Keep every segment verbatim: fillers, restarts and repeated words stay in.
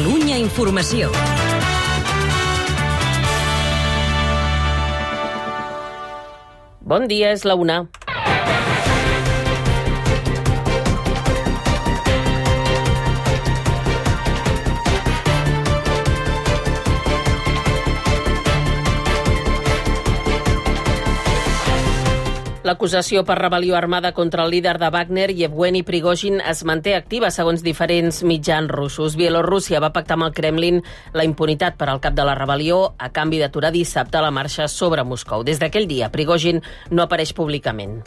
Catalunya Informació. Bon dia, és la una. L'acusació per rebel·lió armada contra el líder de Wagner, Yevgeny Prigozhin, es manté activa segons diferents mitjans russos. Bielorússia va pactar amb el Kremlin la impunitat per al cap de la rebel·lió a canvi d'aturar dissabte la marxa sobre Moscou. Des d'aquell dia, Prigozhin no apareix públicament.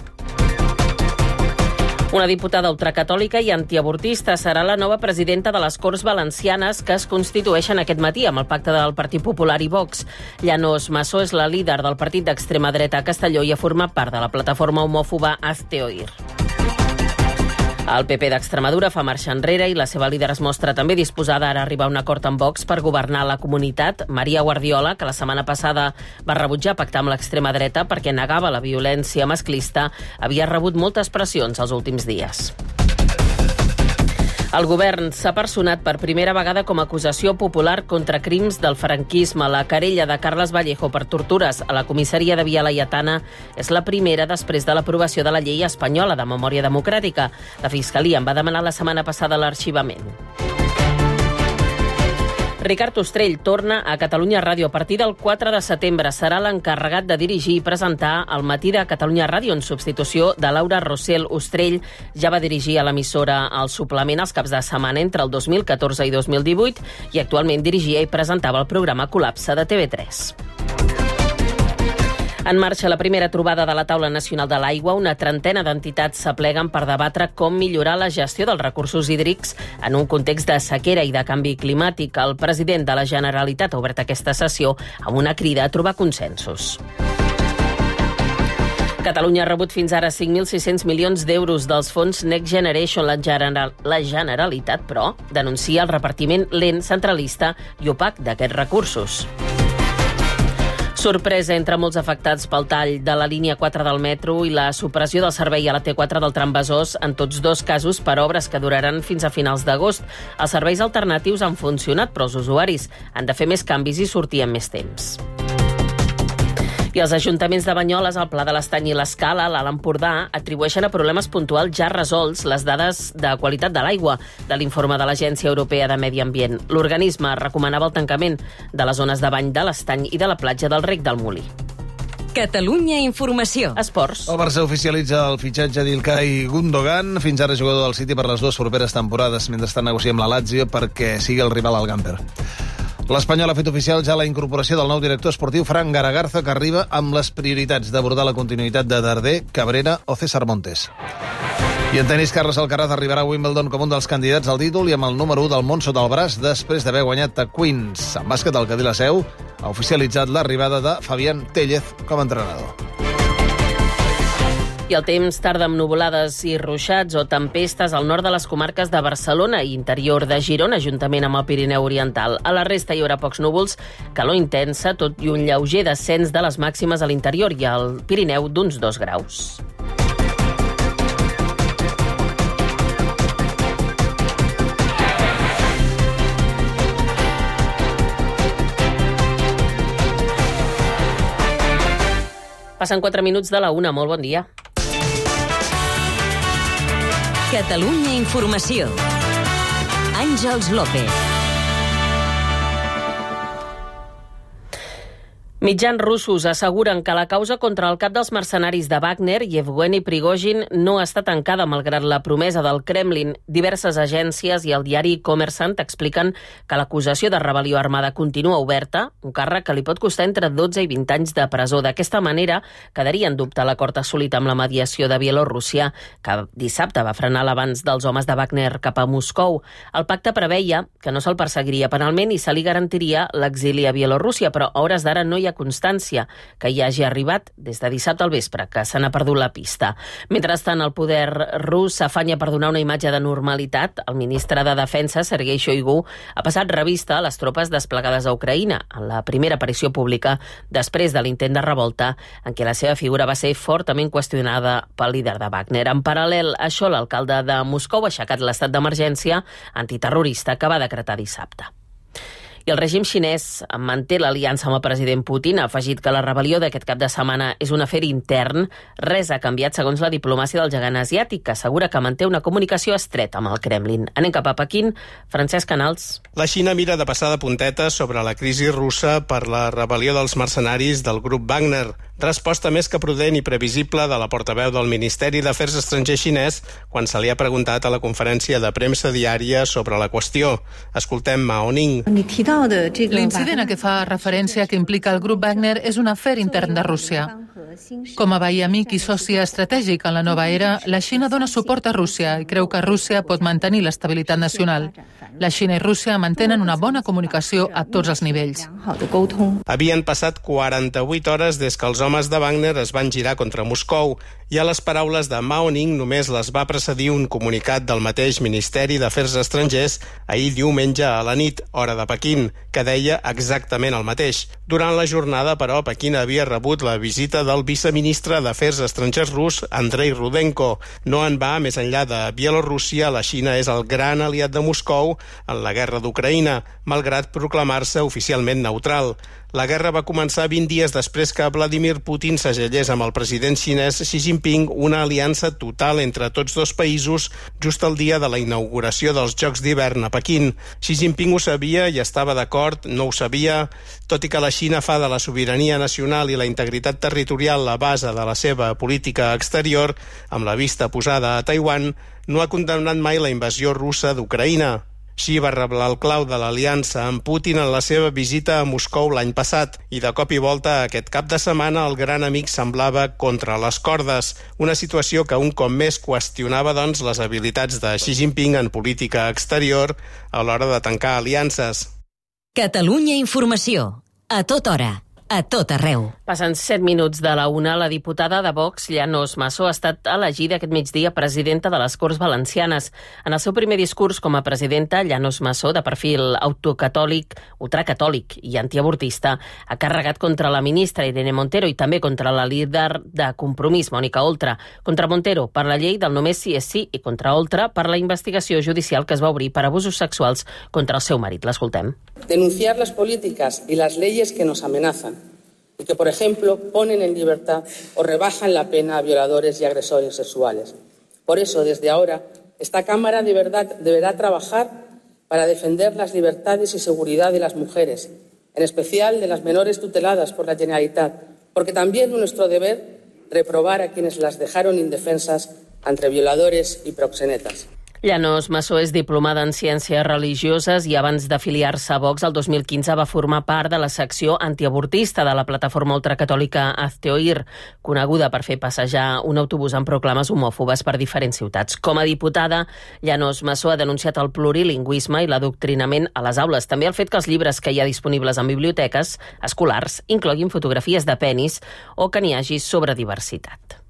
Una diputada ultracatòlica i antiavortista serà la nova presidenta de les Corts Valencianes que es constitueixen aquest matí amb el pacte del Partit Popular i Vox. Llanos Massó és la líder del partit d'extrema dreta a Castelló i ha format part de la plataforma homòfoba Hazte Oír. El P P d'Extremadura fa marxa enrere i la seva líder es mostra també disposada ara a arribar a un acord amb Vox per governar la comunitat. Maria Guardiola, que la setmana passada va rebutjar pactar amb l'extrema dreta perquè negava la violència masclista, havia rebut moltes pressions els últims dies. El govern s'ha personat per primera vegada com a acusació popular contra crims del franquisme. La querella de Carles Vallejo per tortures a la comissaria de Via Laietana és la primera després de l'aprovació de la llei espanyola de memòria democràtica. La Fiscalia en va demanar la setmana passada l'arxivament. Ricard Ostrell torna a Catalunya Ràdio. A partir del quatre de setembre serà l'encarregat de dirigir i presentar el matí de Catalunya Ràdio en substitució de Laura Rossell. Ostrell ja va dirigir a l'emissora El Suplement els caps de setmana entre el dos mil catorze i dos mil divuit i actualment dirigia i presentava el programa Col·lapse de T V tres. En marxa la primera trobada de la Taula Nacional de l'Aigua. Una trentena d'entitats s'apleguen per debatre com millorar la gestió dels recursos hídrics en un context de sequera i de canvi climàtic. El president de la Generalitat ha obert aquesta sessió amb una crida a trobar consensos. Catalunya ha rebut fins ara cinc mil sis-cents milions d'euros dels fons Next Generation. La, General, la Generalitat, però, denuncia el repartiment lent, centralista i opac d'aquests recursos. Sorpresa entre molts afectats pel tall de la línia quatre del metro i la supressió del servei a la T quatre del tram Besòs, en tots dos casos per obres que duraran fins a finals d'agost. Els serveis alternatius han funcionat, però els usuaris han de fer més canvis i sortir en més temps. I els ajuntaments de Banyoles, el Pla de l'Estany i l'Escala, l'Alt Empordà, atribueixen a problemes puntuals ja resolts les dades de qualitat de l'aigua de l'informe de l'Agència Europea de Medi Ambient. L'organisme recomanava el tancament de les zones de bany de l'Estany i de la platja del Rec del Molí. Catalunya Informació. Esports. El Barça oficialitza el fitxatge d'Ilkay Gundogan, fins ara jugador del City per les dues properes temporades, mentre està negociant amb la Lazio perquè sigui el rival al Gamper. L'Espanyol ha fet oficial ja la incorporació del nou director esportiu Fran Garagarza, que arriba amb les prioritats d'abordar la continuïtat de Darder, Cabrera o César Montes. I en tenis, Carles Alcaraz arribarà a Wimbledon com un dels candidats al títol i amb el número u del món sota el braç després d'haver guanyat a Queens. En bàsquet, el Cadí la Seu ha oficialitzat l'arribada de Fabián Téllez com a entrenador. I el temps tarda amb nuvolades i ruixats o tempestes al nord de les comarques de Barcelona i interior de Girona, juntament amb el Pirineu Oriental. A la resta hi haurà pocs núvols, calor intensa, tot i un lleuger descens de les màximes a l'interior i al Pirineu d'uns dos graus. Passen quatre minuts de la una. Molt bon dia. Catalunya Informació. Àngels López. Mitjans russos asseguren que la causa contra el cap dels mercenaris de Wagner, Yevgeny Prigozhin, no està tancada malgrat la promesa del Kremlin. Diverses agències i el diari Kommersant expliquen que l'acusació de rebel·lió armada continua oberta, un càrrec que li pot costar entre dotze i vint anys de presó. D'aquesta manera, quedaria en dubte l'acord assolit amb la mediació de Bielorússia, que dissabte va frenar l'avanç dels homes de Wagner cap a Moscou. El pacte preveia que no se'l perseguiria penalment i se li garantiria l'exili a Bielorússia, però a hores d'ara no hi ha constància que hi hagi arribat des de dissabte al vespre, que se n'ha perdut la pista. Mentrestant, el poder rus s'afanya per donar una imatge de normalitat. El ministre de Defensa, Sergei Shoigu, ha passat revista a les tropes desplegades a Ucraïna, en la primera aparició pública després de l'intent de revolta, en què la seva figura va ser fortament qüestionada pel líder de Wagner. En paral·lel a això, l'alcalde de Moscou ha aixecat l'estat d'emergència antiterrorista que va decretar dissabte. I el règim xinès manté l'aliança amb el president Putin, ha afegit que la rebel·lió d'aquest cap de setmana és un afer intern. Res ha canviat segons la diplomàcia del gegant asiàtic, que assegura que manté una comunicació estreta amb el Kremlin. Anem cap a Pequín. Francesc Canals. La Xina mira de passar de puntetes sobre la crisi russa per la rebel·lió dels mercenaris del grup Wagner. Resposta més que prudent i previsible de la portaveu del Ministeri d'Afers Estrangers xinès quan se li ha preguntat a la conferència de premsa diària sobre la qüestió. Escoltem Mao Ning. L'incident a què fa referència que implica el grup Wagner és un afer intern de Rússia. Com a veí amic i soci estratègic en la nova era, la Xina dona suport a Rússia i creu que Rússia pot mantenir l'estabilitat nacional. La Xina i Rússia mantenen una bona comunicació a tots els nivells. Havien passat quaranta-vuit hores des que els homes de Wagner es van girar contra Moscou i a les paraules de Mao Ning només les va precedir un comunicat del mateix Ministeri d'Afers Estrangers ahir diumenge a la nit, hora de Pequín, que deia exactament el mateix. Durant la jornada, però, Pequín havia rebut la visita del viceministre d'Afers Estrangers rus, Andrei Rudenko. No en va més enllà de Bielorússia, la Xina és el gran aliat de Moscou en la guerra d'Ucraïna, malgrat proclamar-se oficialment neutral. La guerra va començar vint dies després que Vladimir Putin segellés amb el president xinès Xi Jinping una aliança total entre tots dos països just el dia de la inauguració dels Jocs d'hivern a Pequín. Xi Jinping ho sabia i estava d'acord, no ho sabia. Tot i que la Xina fa de la sobirania nacional i la integritat territorial la base de la seva política exterior, amb la vista posada a Taiwan, no ha condemnat mai la invasió russa d'Ucraïna. Xi va reblar el clau de l'aliança amb Putin en la seva visita a Moscou l'any passat i de cop i volta aquest cap de setmana el gran amic semblava contra les cordes, una situació que un cop més qüestionava doncs les habilitats de Xi Jinping en política exterior a l'hora de tancar aliances. Catalunya Informació. A tota hora. A tot arreu. Passen set minuts de la una, la diputada de Vox, Llanos Massó, ha estat elegida aquest migdia presidenta de les Corts Valencianes. En el seu primer discurs com a presidenta, Llanos Massó, de perfil autocatòlic, ultracatòlic i antiavortista, ha carregat contra la ministra Irene Montero i també contra la líder de Compromís, Mònica Oltra. Contra Montero per la llei del només sí és sí i contra Oltra per la investigació judicial que es va obrir per abusos sexuals contra el seu marit. L'escoltem. Denunciar las políticas y las leyes que nos amenazan y que, por ejemplo, ponen en libertad o rebajan la pena a violadores y agresores sexuales. Por eso, desde ahora, esta Cámara de verdad deberá trabajar para defender las libertades y seguridad de las mujeres, en especial de las menores tuteladas por la Generalitat, porque también es nuestro deber reprobar a quienes las dejaron indefensas entre violadores y proxenetas. Llanos Massó és diplomada en Ciències Religioses i abans d'afiliar-se a Vox el dos mil quinze va formar part de la secció antiavortista de la plataforma ultracatòlica Hazte Oír, coneguda per fer passejar un autobús amb proclames homòfobes per diferents ciutats. Com a diputada, Llanos Massó ha denunciat el plurilingüisme i l'adoctrinament a les aules, també el fet que els llibres que hi ha disponibles en biblioteques escolars incloguin fotografies de penis o que n'hi hagi sobre diversitat.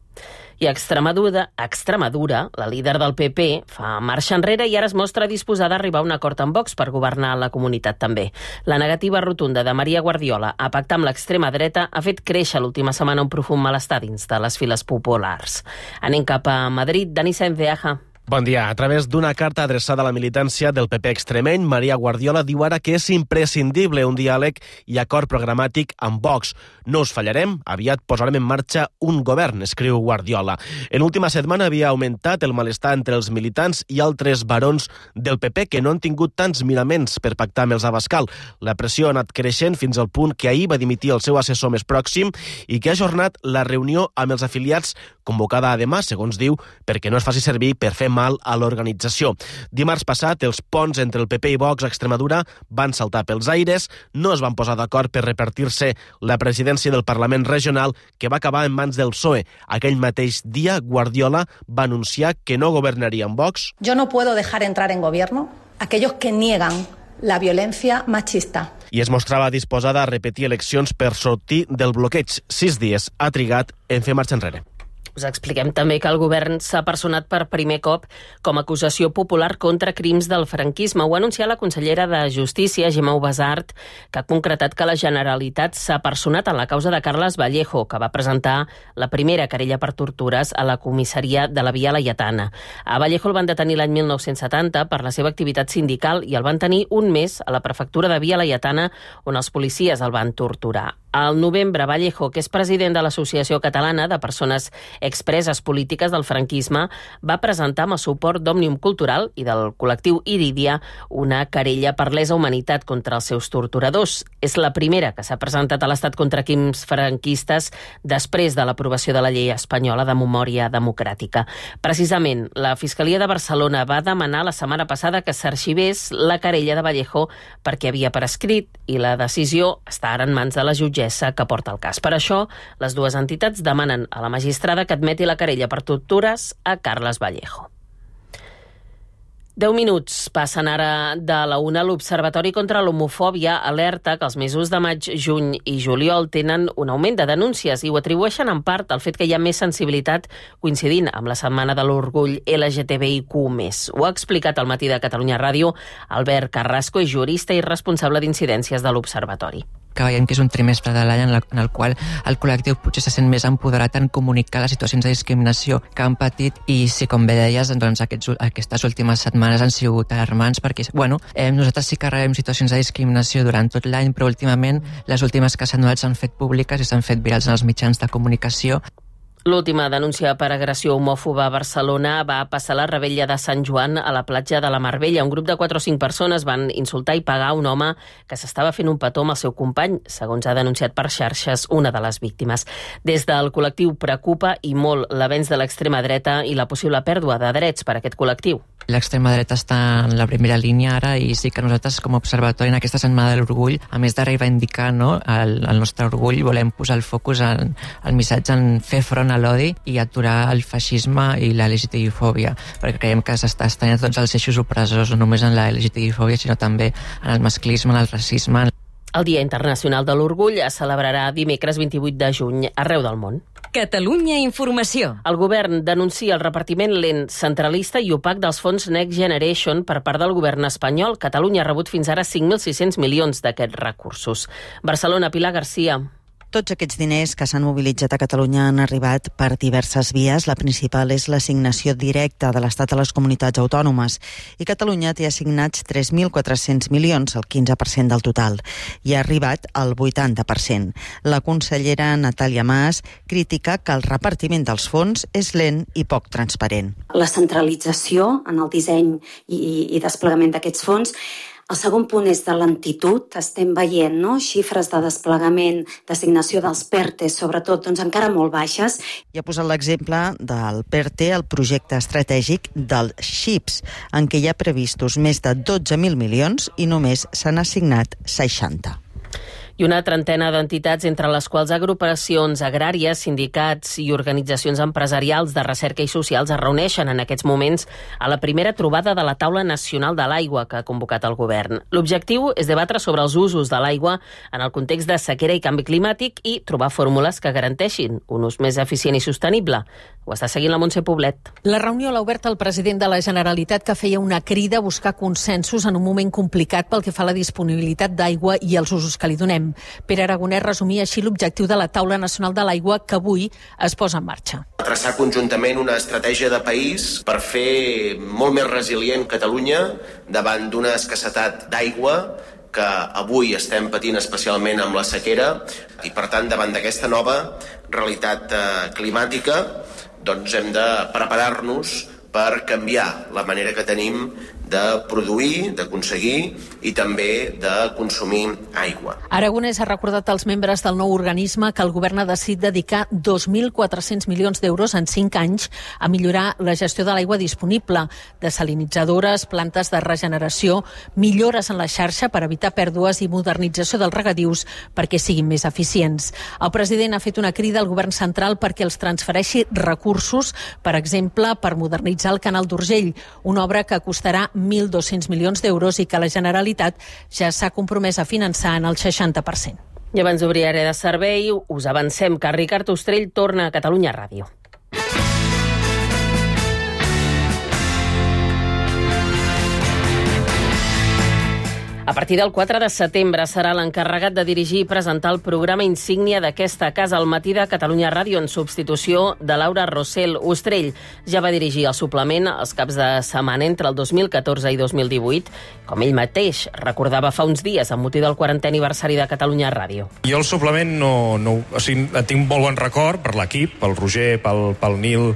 I a Extremadura, Extremadura, la líder del P P, fa marxa enrere i ara es mostra disposada a arribar a un acord amb Vox per governar la comunitat també. La negativa rotunda de Maria Guardiola a pactar amb l'extrema dreta ha fet créixer l'última setmana un profund malestar dins de les files populars. Anem cap a Madrid. Dani Sáenz de Aja. Bon dia. A través d'una carta adreçada a la militància del P P extremeny, Maria Guardiola diu ara que és imprescindible un diàleg i acord programàtic amb Vox. No us fallarem, aviat posarem en marxa un govern, escriu Guardiola. En l'última setmana havia augmentat el malestar entre els militants i altres barons del P P que no han tingut tants miraments per pactar amb els Abascal. La pressió ha anat creixent fins al punt que ahir va dimitir el seu assessor més pròxim i que ha ajornat la reunió amb els afiliats convocada a demà, segons diu, perquè no es faci servir per fer mal a l'organització. Dimarts passat, els ponts entre el P P i Vox a Extremadura van saltar pels aires, no es van posar d'acord per repartir-se la presidència del Parlament regional, que va acabar en mans del P S O E. Aquell mateix dia, Guardiola va anunciar que no governaria amb Vox. Yo no puedo dejar entrar en gobierno aquellos que niegan la violencia machista. I es mostrava disposada a repetir eleccions per sortir del bloqueig. Sis dies ha trigat en fer marxa enrere. Us expliquem també que el govern s'ha personat per primer cop com a acusació popular contra crims del franquisme. Ho ha anunciat la consellera de Justícia, Gemma Ubasart, que ha concretat que la Generalitat s'ha personat en la causa de Carles Vallejo, que va presentar la primera querella per tortures a la comissaria de la Via Laietana. A Vallejo el van detenir l'any mil nou-cents setanta per la seva activitat sindical i el van tenir un mes a la prefectura de Via Laietana, on els policies el van torturar. Al novembre, Vallejo, que és president de l'Associació Catalana de Persones Expreses Polítiques del Franquisme, va presentar amb el suport d'Òmnium Cultural i del col·lectiu Iridia una querella per lesa humanitat contra els seus torturadors. És la primera que s'ha presentat a l'Estat contra crims franquistes després de l'aprovació de la llei espanyola de memòria democràtica. Precisament, la Fiscalia de Barcelona va demanar la setmana passada que s'arxivés la querella de Vallejo perquè havia prescrit i la decisió està ara en mans de la jutgessa que porta el cas. Per això, les dues entitats demanen a la magistrada que admeti la querella per tortures a Carles Vallejo. Deu minuts passen ara de la una. L'Observatori contra l'Homofòbia alerta que els mesos de maig, juny i juliol tenen un augment de denúncies i ho atribueixen en part al fet que hi ha més sensibilitat coincidint amb la Setmana de l'Orgull L G T B I Q més. Ho ha explicat al Matí de Catalunya Ràdio Albert Carrasco, és jurista i responsable d'incidències de l'Observatori. Que veiem que és un trimestre de l'any en, la, en el qual el col·lectiu potser se sent més empoderat en comunicar les situacions de discriminació que han patit i si, com bé deies, doncs aquests, aquestes últimes setmanes han sigut alarmants perquè, bueno, eh, nosaltres sí que rebem situacions de discriminació durant tot l'any, però últimament les últimes que s'han donat s'han fet públiques i s'han fet virals en els mitjans de comunicació. L'última denúncia per agressió homòfoba a Barcelona va passar la Revetlla de Sant Joan a la platja de la Mar Bella. Un grup de quatre o cinc persones van insultar i pegar un home que s'estava fent un petó amb el seu company, segons ha denunciat per xarxes una de les víctimes. Des del col·lectiu preocupa i molt l'avenç de l'extrema dreta i la possible pèrdua de drets per a aquest col·lectiu. L'extrema dreta està en la primera línia ara i sí que nosaltres com a observatori en aquesta setmana de l'orgull, a més de reivindicar no, el, el nostre orgull, volem posar el focus en el missatge en fer front a l'odi i aturar el feixisme i la L G T B-fòbia, perquè creiem que s'està estenent tots els eixos opressors, no només en la L G T B-fòbia, sinó també en el masclisme, en el racisme. El Dia Internacional de l'Orgull es celebrarà dimecres vint-i-vuit de juny arreu del món. Catalunya Informació. El govern denuncia el repartiment lent, centralista i opac dels fons Next Generation per part del govern espanyol. Catalunya ha rebut fins ara cinc mil sis-cents milions d'aquests recursos. Barcelona, Pilar Garcia. Tots aquests diners que s'han mobilitzat a Catalunya han arribat per diverses vies. La principal és l'assignació directa de l'Estat a les comunitats autònomes. I Catalunya té assignats tres mil quatre-cents milions, el quinze per cent del total. I ha arribat al vuitanta per cent. La consellera Natàlia Mas critica que el repartiment dels fons és lent i poc transparent. La centralització en el disseny i, i desplegament d'aquests fons. El segon punt és de lentitud. Estem veient no? xifres de desplegament, d'assignació dels PERTE, sobretot doncs, encara molt baixes. I ha posat l'exemple del PERTE, el projecte estratègic del XIPS, en què hi ha previstos més de dotze mil milions i només s'han assignat seixanta. I una trentena d'entitats, entre les quals agrupacions agràries, sindicats i organitzacions empresarials de recerca i socials es reuneixen en aquests moments a la primera trobada de la Taula Nacional de l'Aigua que ha convocat el govern. L'objectiu és debatre sobre els usos de l'aigua en el context de sequera i canvi climàtic i trobar fórmules que garanteixin un ús més eficient i sostenible. Ho està seguint la Montse Poblet. La reunió l'ha obert el president de la Generalitat, que feia una crida a buscar consensos en un moment complicat pel que fa a la disponibilitat d'aigua i els usos que li donem. Pere Aragonès resumia així l'objectiu de la Taula Nacional de l'Aigua que avui es posa en marxa. Traçar conjuntament una estratègia de país per fer molt més resilient Catalunya davant d'una escassetat d'aigua que avui estem patint especialment amb la sequera i, per tant, davant d'aquesta nova realitat eh, climàtica, doncs hem de preparar-nos per canviar la manera que tenim de produir, d'aconseguir i també de consumir aigua. Aragonès ha recordat als membres del nou organisme que el govern ha decidit dedicar dos mil quatre-cents milions d'euros en cinc anys a millorar la gestió de l'aigua disponible, desalinitzadores, plantes de regeneració, millores en la xarxa per evitar pèrdues i modernització dels regadius perquè siguin més eficients. El president ha fet una crida al govern central perquè els transfereixi recursos, per exemple, per modernitzar el canal d'Urgell, una obra que costarà mil dos-cents milions d'euros i que la Generalitat ja s'ha compromès a finançar en el seixanta per cent. I abans d'obrir àrea de servei, us avancem que Ricard Ostrell torna a Catalunya Ràdio. A partir del quatre de setembre serà l'encarregat de dirigir i presentar el programa insígnia d'aquesta casa al matí de Catalunya Ràdio en substitució de Laura Rossell. Ostrell ja va dirigir el suplement els caps de setmana entre el dos mil catorze i dos mil divuit, com ell mateix recordava fa uns dies amb motiu del quarantè aniversari de Catalunya Ràdio. Jo el suplement no, no, o sigui, tinc molt bon record per l'equip, pel Roger, pel, pel Nil,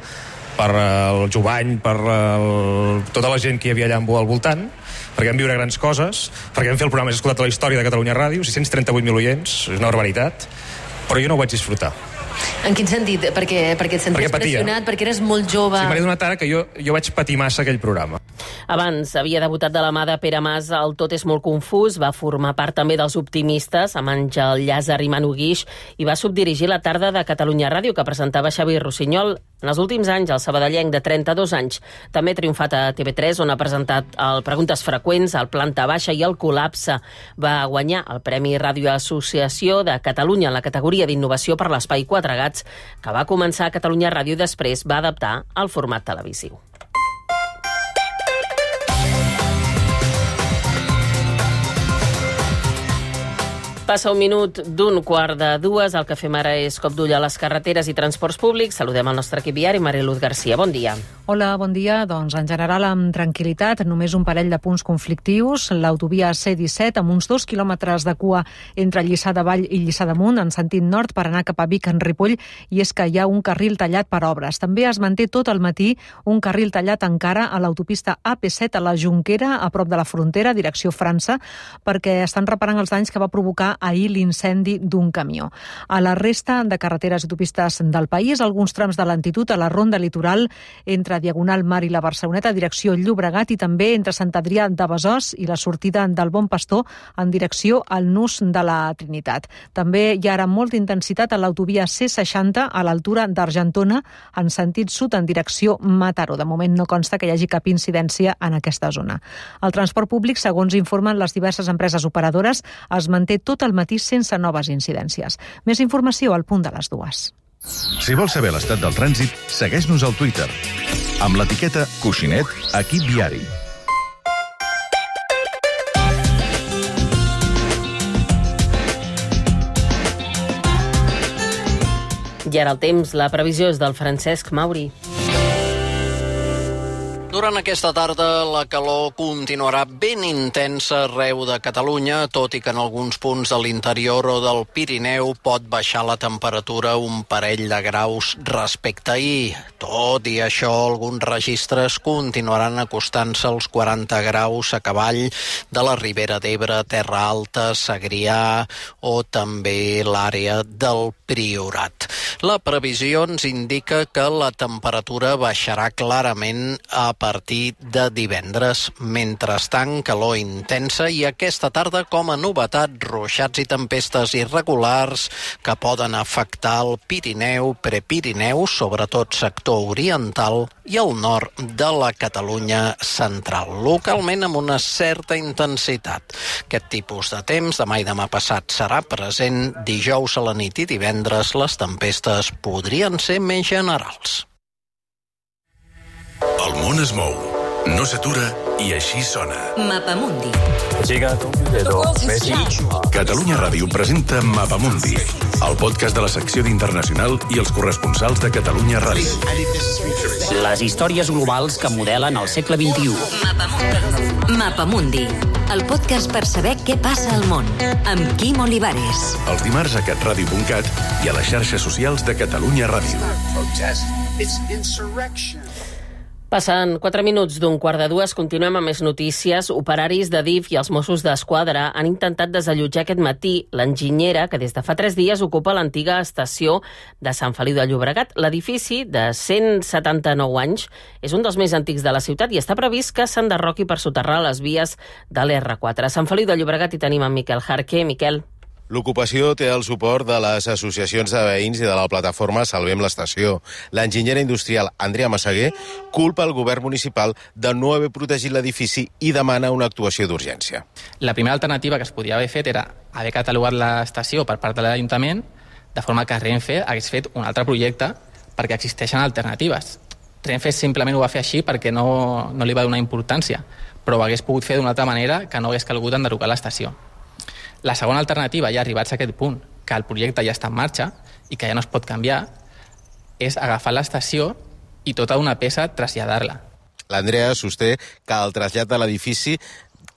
per el Jovany, per el, tota la gent que hi havia allà al voltant, perquè vam viure grans coses, perquè vam fer el programa més escoltat de la història de Catalunya Ràdio, sis cents i trenta-vuit mil oients, és una barbaritat, però jo no ho vaig disfrutar. En quin sentit? Perquè, perquè et senties perquè pressionat, perquè eres molt jove... Sí, m'ha donat ara que jo, jo vaig patir massa aquell programa. Abans havia debutat de la mà de Pere Mas al Tot és molt confús, va formar part també dels Optimistes, amb Àngel Llàzer i Manu Guix, i va subdirigir la tarda de Catalunya Ràdio, que presentava Xavi Rossinyol. En els últims anys, el sabadellenc de trenta-dos anys també ha triomfat a T V tres, on ha presentat el Preguntes Freqüents, el Planta Baixa i el Col·lapse. Va guanyar el Premi Ràdio Associació de Catalunya en la categoria d'innovació per l'Espai Quatre Gats, que va començar a Catalunya Ràdio i després va adaptar al format televisiu. Passa un minut d'un quart de dues. El que fem ara és cop d'ull a les carreteres i transports públics. Saludem el nostre equip viari, Mariluz Garcia. Bon dia. Hola, bon dia. Doncs en general amb tranquil·litat, només un parell de punts conflictius. L'autovia C disset amb uns dos quilòmetres de cua entre Lliçà de Vall i Lliçà d'Amunt en sentit nord per anar cap a Vic en Ripoll, i és que hi ha un carril tallat per obres. També es manté tot el matí un carril tallat encara a l'autopista A P set a la Jonquera, a prop de la frontera, direcció França, perquè estan reparant els danys que va provocar ahir l'incendi d'un camió. A la resta de carreteres i autopistes del país, alguns trams de lentitud a la ronda litoral entre Diagonal Mar i la Barceloneta, direcció Llobregat, i també entre Sant Adrià de Besòs i la sortida del Bon Pastor en direcció al Nus de la Trinitat. També hi ha ara molta intensitat a l'autovia C seixanta a l'altura d'Argentona en sentit sud en direcció Mataró. De moment no consta que hi hagi cap incidència en aquesta zona. El transport públic, segons informen les diverses empreses operadores, es manté tot el matí sense noves incidències. Més informació al punt de les dues. Si vols saber l'estat del trànsit, segueix-nos al Twitter amb l'etiqueta Coixinet Equip Viari. I ara el temps, la previsió és del Francesc Mauri. Durant aquesta tarda la calor continuarà ben intensa arreu de Catalunya, tot i que en alguns punts de l'interior o del Pirineu pot baixar la temperatura un parell de graus respecte a ahir. Tot i això, alguns registres continuaran acostant-se als quaranta graus a cavall de la Ribera d'Ebre, Terra Alta, Segrià o també l'àrea del Priorat. La previsió ens indica que la temperatura baixarà clarament a partir de divendres. Mentrestant, calor intensa i aquesta tarda, com a novetat, ruixats i tempestes irregulars que poden afectar el Pirineu, Prepirineu, sobretot sector oriental i el nord de la Catalunya central, localment amb una certa intensitat. Aquest tipus de temps demà i demà passat serà present. Dijous a la nit i divendres les tempestes podrien ser més generals. El món es mou, no s'atura i així sona. Mapamundi. Catalunya Ràdio presenta Mapamundi, el podcast de la secció d'Internacional i els corresponsals de Catalunya Ràdio. Les històries globals que modelen el segle vint-i-u. Mapamundi. Mapamundi, el podcast per saber què passa al món, amb Quim Olivares. Els dimarts a catradio punt cat i a les xarxes socials de Catalunya Ràdio. Passen quatre minuts d'un quart de dues, continuem amb més notícies. Operaris de D I F i els Mossos d'Esquadra han intentat desallotjar aquest matí l'enginyera que des de fa tres dies ocupa l'antiga estació de Sant Feliu de Llobregat. L'edifici, de cent setanta-nou anys, és un dels més antics de la ciutat i està previst que s'enderroqui per soterrar les vies de l'R quatre. A Sant Feliu de Llobregat hi tenim en Miquel Jarque. Miquel. L'ocupació té el suport de les associacions de veïns i de la plataforma Salvem l'Estació. L'enginyera industrial Andrea Massaguer culpa el govern municipal de no haver protegit l'edifici i demana una actuació d'urgència. La primera alternativa que es podia haver fet era haver catalogat l'estació per part de l'Ajuntament, de forma que Renfe hagués fet un altre projecte perquè existeixen alternatives. Renfe simplement ho va fer així perquè no, no li va donar importància. però ho hagués pogut fer d'una altra manera que no hagués calgut enderrocar l'estació. La segona alternativa, ja arribats a aquest punt, que el projecte ja està en marxa i que ja no es pot canviar, és agafar l'estació i tota una peça traslladar-la. L'Andrea sosté que el trasllat de l'edifici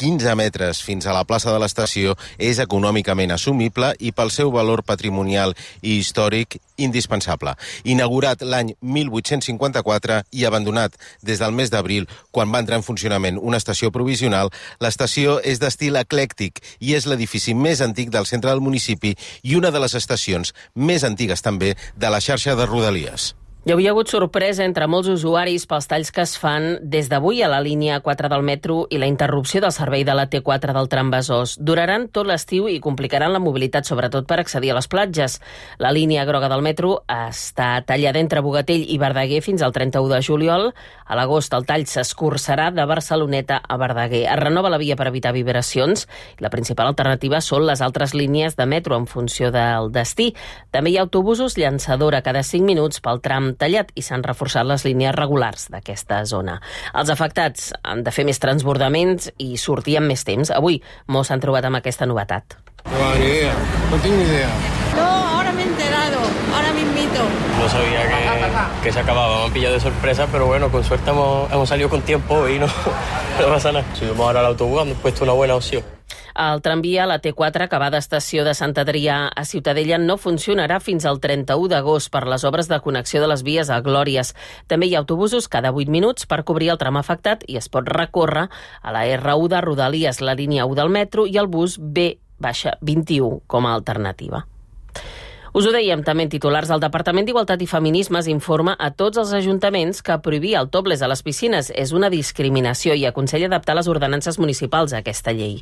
quinze metres fins a la plaça de l'estació és econòmicament assumible i pel seu valor patrimonial i històric indispensable. Inaugurat l'any mil vuit-cents cinquanta-quatre i abandonat des del mes d'abril, quan va entrar en funcionament una estació provisional, l'estació és d'estil eclèctic i és l'edifici més antic del centre del municipi i una de les estacions més antigues també de la xarxa de Rodalies. Hi havia hagut sorpresa entre molts usuaris pels talls que es fan des d'avui a la línia quatre del metro i la interrupció del servei de la T quatre del tram Besòs. Duraran tot l'estiu i complicaran la mobilitat, sobretot per accedir a les platges. La línia groga del metro està tallada entre Bogatell i Verdaguer fins al trenta-u de juliol. A l'agost el tall s'escurçarà de Barceloneta a Verdaguer. Es renova la via per evitar vibracions i la principal alternativa són les altres línies de metro en funció del destí. També hi ha autobusos llançadora cada cinc minuts pel tram tallat i s'han reforçat les línies regulars d'aquesta zona. Els afectats han de fer més transbordaments i sortir amb més temps. Avui molts s'han trobat amb aquesta novetat. No, ni idea. No tengo ni idea. No, ahora me he enterado. Ahora mismito. No sabía que, que se acababa. Me han pillado de sorpresa, pero bueno, con suerte hemos, hemos salido con tiempo y no, no pasa nada. Subimos ahora al autobús, han puesto una buena opción. El tramvia, la T quatre, que va d'estació de Sant Adrià a Ciutadella, no funcionarà fins al trenta-u d'agost per les obres de connexió de les vies a Glòries. També hi ha autobusos cada vuit minuts per cobrir el tram afectat i es pot recórrer a la R u de Rodalies, la línia u del metro i el bus B vint u com a alternativa. Us ho dèiem també en titulars. El Departament d'Igualtat i Feminismes informa a tots els ajuntaments que prohibir el topless a les piscines és una discriminació i aconsella adaptar les ordenances municipals a aquesta llei.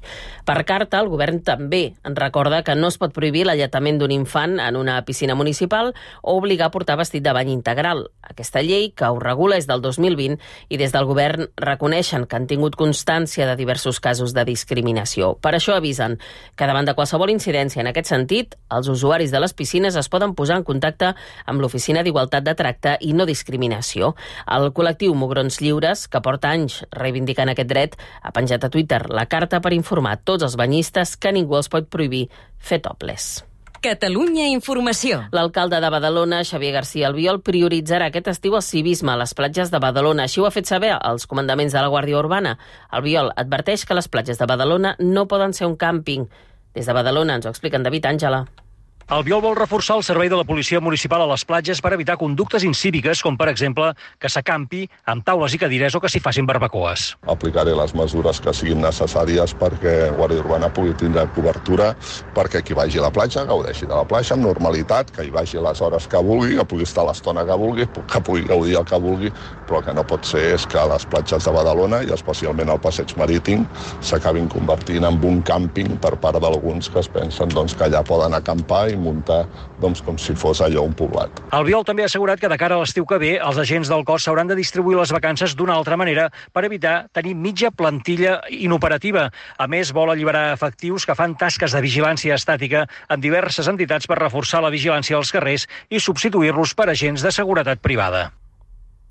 Per carta, el govern també en recorda que no es pot prohibir l'alletament d'un infant en una piscina municipal o obligar a portar vestit de bany integral. Aquesta llei, que ho regula, és del dos mil vint i des del govern reconeixen que han tingut constància de diversos casos de discriminació. Per això avisen que davant de qualsevol incidència en aquest sentit, els usuaris de les piscines es poden posar en contacte amb l'Oficina d'Igualtat de Tracte i No Discriminació. El col·lectiu Mugrons Lliures, que porta anys reivindicant aquest dret, ha penjat a Twitter la carta per informar a tots els banyistes que ningú els pot prohibir fer topless. Catalunya Informació. L'alcalde de Badalona, Xavier García Albiol, prioritzarà aquest estiu el civisme a les platges de Badalona. Així ho ha fet saber als comandaments de la Guàrdia Urbana. Albiol adverteix que les platges de Badalona no poden ser un càmping. Des de Badalona ens ho explica en David Àngela. Albiol vol reforçar el servei de la policia municipal a les platges per evitar conductes incíviques, com per exemple que s'acampi amb taules i cadires o que s'hi facin barbacoes. Aplicaré les mesures que siguin necessàries perquè Guàrdia Urbana pugui tindre cobertura, perquè qui vagi a la platja gaudeixi de la platja amb normalitat, que hi vagi a les hores que vulgui, que pugui estar l'estona que vulgui, que pugui gaudir el que vulgui, però que no pot ser és que les platges de Badalona, i especialment el passeig marítim, s'acabin convertint en un càmping per part d'alguns que es pensen doncs, que allà poden acampar i muntar doncs, com si fos allò un poblat. Albiol també ha assegurat que de cara a l'estiu que ve els agents del cos s'hauran de distribuir les vacances d'una altra manera per evitar tenir mitja plantilla inoperativa. A més, vol alliberar efectius que fan tasques de vigilància estàtica en diverses entitats per reforçar la vigilància als carrers i substituir-los per agents de seguretat privada.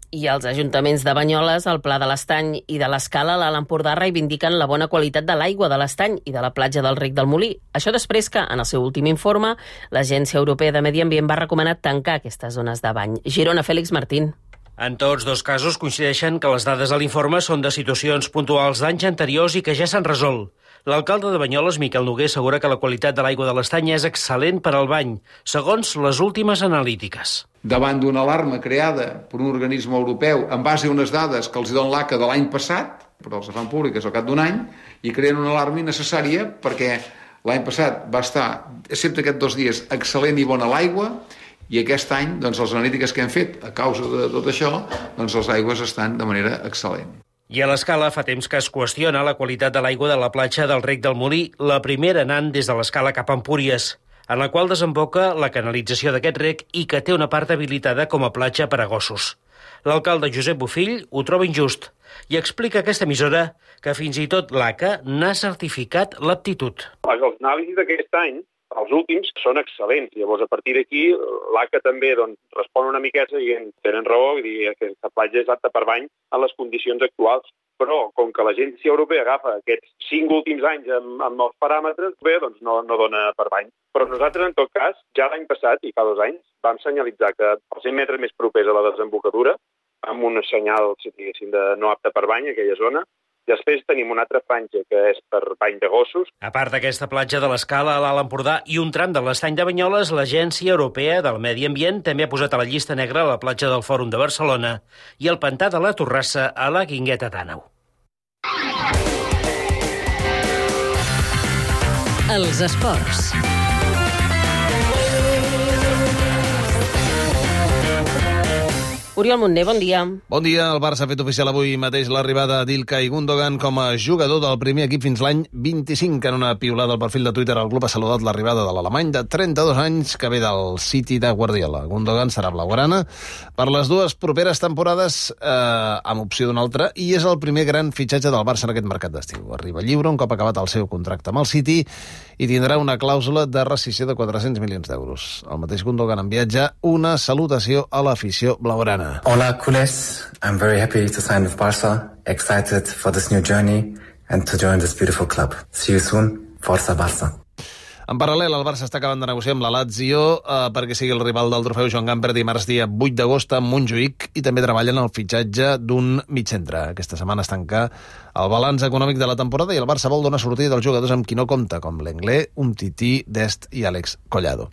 I els ajuntaments de Banyoles, el Pla de l'Estany i de l'Escala, a l'Alt Empordà, reivindiquen la bona qualitat de l'aigua de l'Estany i de la platja del Rec del Molí. Això després que, en el seu últim informe, l'Agència Europea de Medi Ambient va recomanar tancar aquestes zones de bany. Girona, Fèlix Martín. En tots dos casos coincideixen que les dades de l'informe són de situacions puntuals d'anys anteriors i que ja s'han resolt. L'alcalde de Banyoles, Miquel Noguer, assegura que la qualitat de l'aigua de l'Estany és excel·lent per al bany, segons les últimes analítiques. Davant d'una alarma creada per un organisme europeu en base a unes dades que els donen l'A C A de l'any passat, però els fan públiques al cap d'un any, i creen una alarma innecessària perquè l'any passat va estar, excepte aquests dos dies, excel·lent i bona l'aigua, i aquest any, doncs, les analítiques que hem fet a causa de tot això, doncs les aigües estan de manera excel·lent. I a l'Escala fa temps que es qüestiona la qualitat de l'aigua de la platja del Rec del Molí, la primera anant des de l'Escala cap a Empúries, en la qual desemboca la canalització d'aquest rec i que té una part habilitada com a platja per a gossos. L'alcalde Josep Bofill ho troba injust i explica a aquesta emissora que fins i tot l'A C A n'ha certificat l'aptitud. Les anàlisis d'aquest any Els últims són excel·lents. Llavors, a partir d'aquí, l'A C A també doncs, respon una miqueta dient tenen raó i dir que aquesta platja és apta per bany en les condicions actuals. Però, com que l'Agència Europea agafa aquests cinc últims anys amb, amb els paràmetres, bé, doncs no, no dona per bany. Però nosaltres, en tot cas, ja l'any passat, i fa dos anys, vam senyalitzar que els cent metres més propers a la desembocadura, amb un senyal, si diguéssim, de no apte per bany, aquella zona. Després tenim una altra franja que és per bany de gossos. A part d'aquesta platja de l'Escala a l'Alt Empordà i un tram de l'Estany de Banyoles, l'Agència Europea del Medi Ambient també ha posat a la llista negra la platja del Fòrum de Barcelona i el pantà de la Torrassa a la Guingueta d'Àneu. Els esports. Oriol Montner, bon dia. Bon dia. El Barça ha fet oficial avui mateix l'arribada d'Ilkay Gundogan com a jugador del primer equip fins l'any vint-i-cinc. En una piulada al perfil de Twitter, el club ha saludat l'arribada de l'alemany de trenta-dos anys que ve del City de Guardiola. Gundogan serà blaugrana per les dues properes temporades eh, amb opció d'una altra i és el primer gran fitxatge del Barça en aquest mercat d'estiu. Arriba lliure un cop acabat el seu contracte amb el City i tindrà una clàusula de rescissió de quatre-cents milions d'euros. El mateix Gundogan enviatja una salutació a l'afició blaugrana. Hola, culés. I'm very happy to sign with Barça. Excited for this new journey and to join this beautiful club. See you soon. Forza Barça. En paral·lel, el Barça està acabant de negociar amb la Lazio eh, perquè sigui el rival del trofeu Joan Gamper dimarts dia vuit d'agost a Montjuïc i també treballen el fitxatge d'un mitjantre. Aquesta setmana es tanca el balanç econòmic de la temporada i el Barça vol donar sortida dels jugadors amb qui no compta, com l'Englé, Umtiti, Dest i Àlex Collado.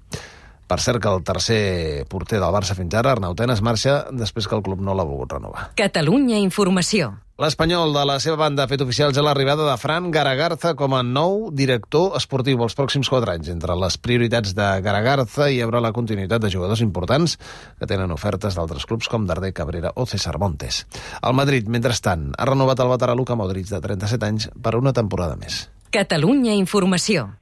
Per cert que el tercer porter del Barça fins ara, Arnau Tenas, marxa després que el club no l'ha volgut renovar. Catalunya Informació. L'Espanyol, de la seva banda, ha fet oficial ja l'arribada de Fran Garagarza com a nou director esportiu els pròxims quatre anys. Entre les prioritats de Garagarza hi haurà la continuïtat de jugadors importants que tenen ofertes d'altres clubs com Darder Cabrera o César Montes. El Madrid, mentrestant, ha renovat el veterà Luka Modric de trenta-set anys per una temporada més. Catalunya Informació.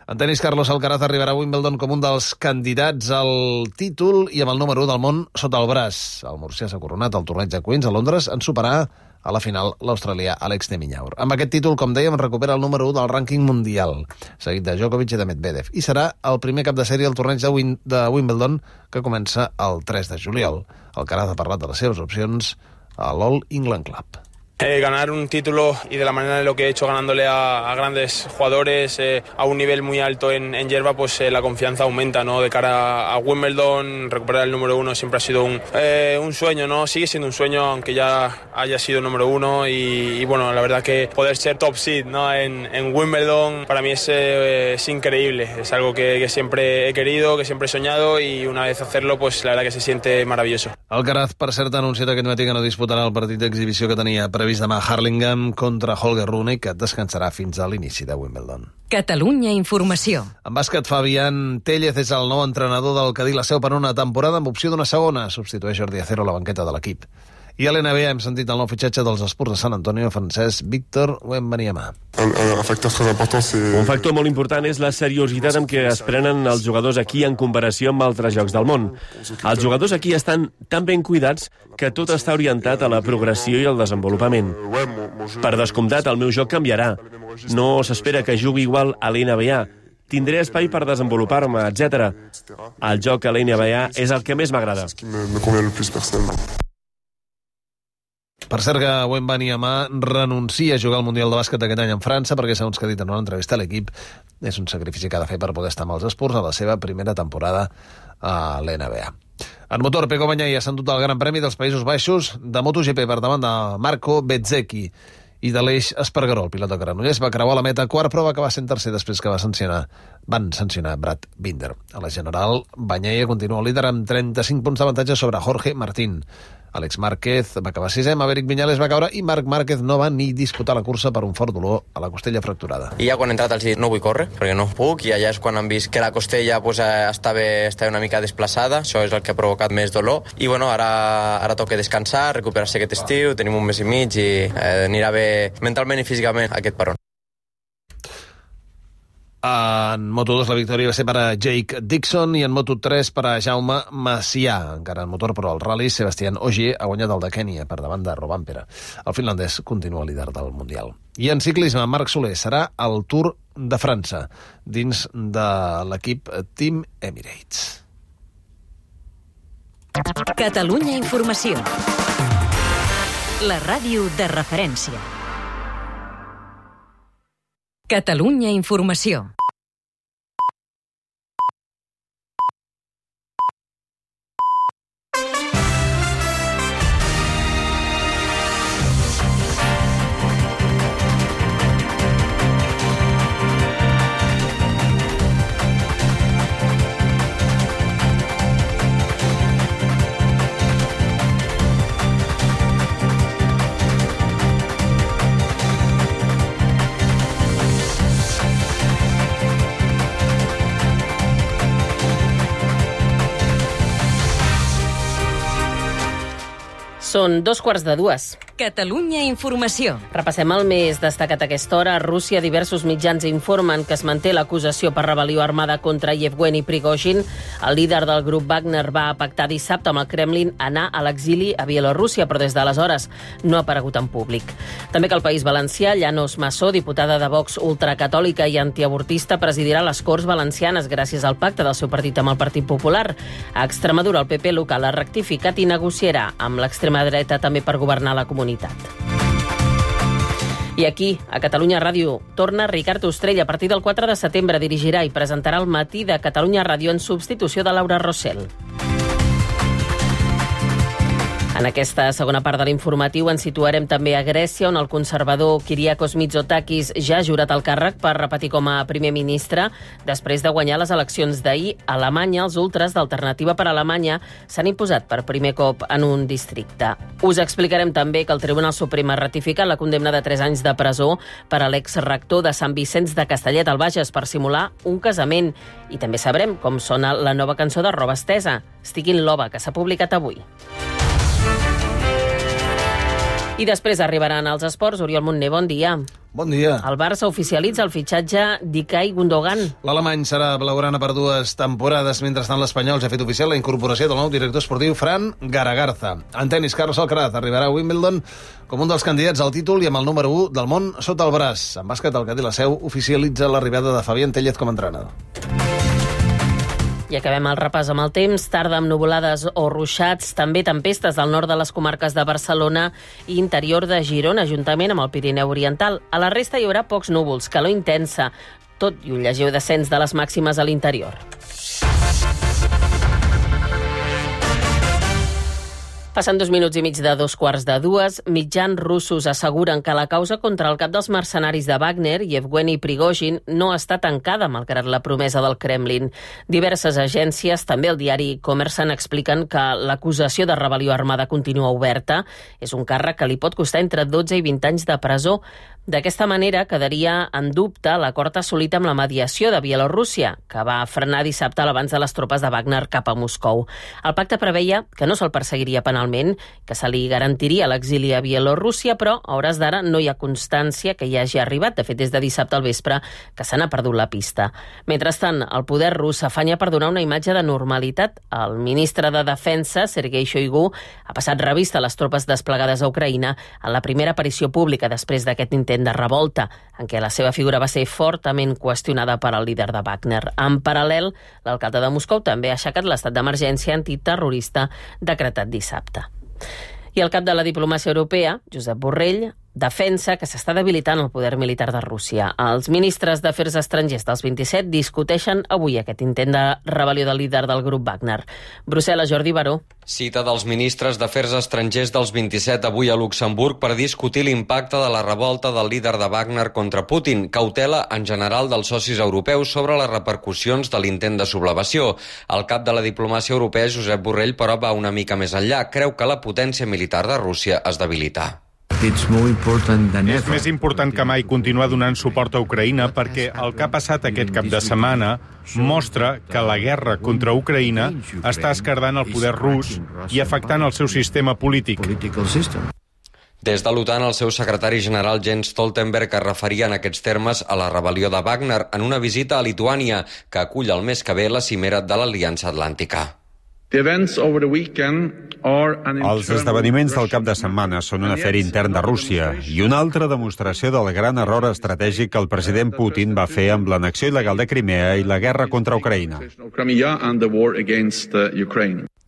En tenis, Carlos Alcaraz arribarà a Wimbledon com un dels candidats al títol i amb el número u del món sota el braç. El murcià s'ha coronat al torneig de Queens a Londres en superar a la final l'australià Alex de Minaur. Amb aquest títol, com dèiem, recupera el número u del rànquing mundial, seguit de Djokovic i de Medvedev, i serà el primer cap de sèrie al torneig de, Win de Wimbledon que comença el tres de juliol. Alcaraz ha parlat de les seves opcions a l'All England Club. Eh, ganar un título y de la manera en lo que he hecho ganándole a, a grandes jugadores eh, a un nivel muy alto en, en hierba, pues eh, la confianza aumenta, ¿no? De cara a, a Wimbledon, recuperar el número uno siempre ha sido un, eh, un sueño, ¿no? Sigue siendo un sueño aunque ya haya sido número uno y, y bueno, la verdad que poder ser top seed, ¿no? en, en Wimbledon para mí es, eh, es increíble, es algo que, que siempre he querido, que siempre he soñado y una vez hacerlo, pues la verdad que se siente maravilloso. Alcaraz, per cert, ha anunciat aquest matí que no disputarà el partit d'exhibició que tenia previst demà a Harlingham contra Holger Rune, que descansarà fins a l'inici de Wimbledon. Catalunya Informació. En bàsquet, Fabián Téllez és el nou entrenador del Cadí la Seu per una temporada amb opció d'una segona. Substitueix Jordi Acero a la banqueta de l'equip. I a l'N B A hem sentit el nou fitxatge dels Spurs de San Antonio, francès Víctor Wembanyama. Un factor molt important és la seriositat amb què es prenen els jugadors aquí en comparació amb altres llocs del món. Els jugadors aquí estan tan ben cuidats que tot està orientat a la progressió i al desenvolupament. Per descomptat, el meu joc canviarà. No s'espera que jugui igual a l'N B A. Tindré espai per desenvolupar-me, etcètera. El joc a l'N B A és el que més m'agrada. Per cert que Wembanyama renuncia a jugar al Mundial de Bàsquet aquest any en França perquè, segons que ha dit en una entrevista a l'equip, és un sacrifici que ha de fer per poder estar amb els Spurs a la seva primera temporada a l'N B A. En motor, Pecco Bagnaia s'ha endut el Gran Premi dels Països Baixos de MotoGP per davant de Marco Bezzecchi i de l'Eix Espargaró. El pilot de Granollers va creuar la meta quart, però va acabar sent tercer després que va sancionar, van sancionar Brad Binder. A la general, Bagnaia continua líder amb trenta-cinc punts d'avantatge sobre Jorge Martín. Àlex Márquez va acabar sisè, Maverick Viñales va caure i Marc Márquez no va ni disputar la cursa per un fort dolor a la costella fracturada. I ja quan he entrat els dit no vull córrer perquè no puc i allà és quan han vist que la costella pues, estava, estava una mica desplaçada, això és el que ha provocat més dolor i bueno, ara, ara toca descansar, recuperar-se aquest estiu, tenim un mes i mig i eh, anirà bé mentalment i físicament aquest peron. En Moto dos la victòria va ser per a Jake Dixon i en Moto tres per a Jaume Macià. Encara en motor, però al rally, Sebastián Ogier ha guanyat el de Kènia per davant de Rovanpera. El finlandès continua líder del Mundial. I en ciclisme, Marc Soler serà el Tour de França, dins de l'equip Team Emirates. Catalunya Informació. La ràdio de referència. Catalunya Informació. Són dos quarts de dues. Catalunya Informació. Repassem el més destacat a aquesta hora. A Rússia, diversos mitjans informen que es manté l'acusació per rebel·lió armada contra Yevgeny Prigozhin. El líder del grup Wagner va pactar dissabte amb el Kremlin anar a l'exili a Bielorússia, però des d'aleshores no ha aparegut en públic. També que el País Valencià, Llanos Massó, diputada de Vox ultracatòlica i antiavortista, presidirà les Corts Valencianes gràcies al pacte del seu partit amb el Partit Popular. A Extremadura, el P P local ha rectificat i negociarà amb l'extrema dreta també per governar la comunitat. I aquí, a Catalunya Ràdio, torna Ricard Ostrell. A partir del quatre de setembre dirigirà i presentarà el Matí de Catalunya Ràdio en substitució de Laura Rossell. En aquesta segona part de l'informatiu ens situarem també a Grècia, on el conservador Kyriakos Mitsotakis ja ha jurat el càrrec per repetir com a primer ministre. Després de guanyar les eleccions d'ahir, a Alemanya, els ultres d'Alternativa per Alemanya s'han imposat per primer cop en un districte. Us explicarem també que el Tribunal Suprem ha ratificat la condemna de tres anys de presó per a l'exrector de Sant Vicenç de Castellet al Bages per simular un casament. I també sabrem com sona la nova cançó de Roba Estesa, Estic in Love, que s'ha publicat avui. I després arribaran als esports. Oriol Montner, bon dia. Bon dia. El Barça oficialitza el fitxatge d'Ilkay Gundogan. L'alemany serà blaugrana per dues temporades. Mentrestant, l'Espanyol ja ha fet oficial la incorporació del nou director esportiu Fran Garagarza. En tenis, Carlos Alcaraz arribarà a Wimbledon com un dels candidats al títol i amb el número u del món sota el braç. En bàsquet, el Cadí la Seu oficialitza l'arribada de Fabián Tellez com a entrenador. I acabem el repàs amb el temps. Tarda amb nuvolades o ruixats, també tempestes al nord de les comarques de Barcelona i interior de Girona, juntament amb el Pirineu Oriental. A la resta hi haurà pocs núvols, calor intensa, tot i un lleuger descens de les màximes a l'interior. Passen dos minuts i mig de dos quarts de dues. Mitjans russos asseguren que la causa contra el cap dels mercenaris de Wagner, Yevgeny Prigozhin, no està tancada, malgrat la promesa del Kremlin. Diverses agències, també el diari Kommersant, expliquen que l'acusació de rebel·lió armada continua oberta. És un càrrec que li pot costar entre dotze i vint anys de presó. D'aquesta manera quedaria en dubte l'acord assolit amb la mediació de Bielorússia, que va frenar dissabte l'avanç de les tropes de Wagner cap a Moscou. El pacte preveia que no se'l perseguiria penalment, que se li garantiria l'exili a Bielorússia, però a hores d'ara no hi ha constància que hi hagi arribat. De fet, des de dissabte al vespre que se n'ha perdut la pista. Mentrestant, el poder rus s'afanya per donar una imatge de normalitat. El ministre de Defensa, Sergei Shoigu, ha passat revista a les tropes desplegades a Ucraïna en la primera aparició pública després d'aquest intent de revolta, en què la seva figura va ser fortament qüestionada per al líder de Wagner. En paral·lel, l'alcalde de Moscou també ha aixecat l'estat d'emergència antiterrorista decretat dissabte. I el cap de la diplomàcia europea, Josep Borrell, defensa que s'està debilitant el poder militar de Rússia. Els ministres d'Afers Estrangers dels vint-i-set discuteixen avui aquest intent de rebel·lió del líder del grup Wagner. Brussel·les, Jordi Baró. Cita dels ministres d'Afers Estrangers dels vint-i-set avui a Luxemburg per discutir l'impacte de la revolta del líder de Wagner contra Putin, cautela en general dels socis europeus sobre les repercussions de l'intent de sublevació. El cap de la diplomàcia europea, Josep Borrell, però va una mica més enllà. Creu que la potència militar de Rússia es debilita. És més important que mai continuar donant suport a Ucraïna perquè el que ha passat aquest cap de setmana mostra que la guerra contra Ucraïna està esquerdant el poder rus i afectant el seu sistema polític. Des de l'OTAN, el seu secretari general Jens Stoltenberg es referia en aquests termes a la rebel·lió de Wagner en una visita a Lituània, que acull el mes que ve la cimera de l'Aliança Atlàntica. The events over the weekend Els esdeveniments del cap de setmana són un afer intern de Rússia i una altra demostració del gran error estratègic que el president Putin va fer amb l'annexió il·legal de Crimea i la guerra contra Ucraïna.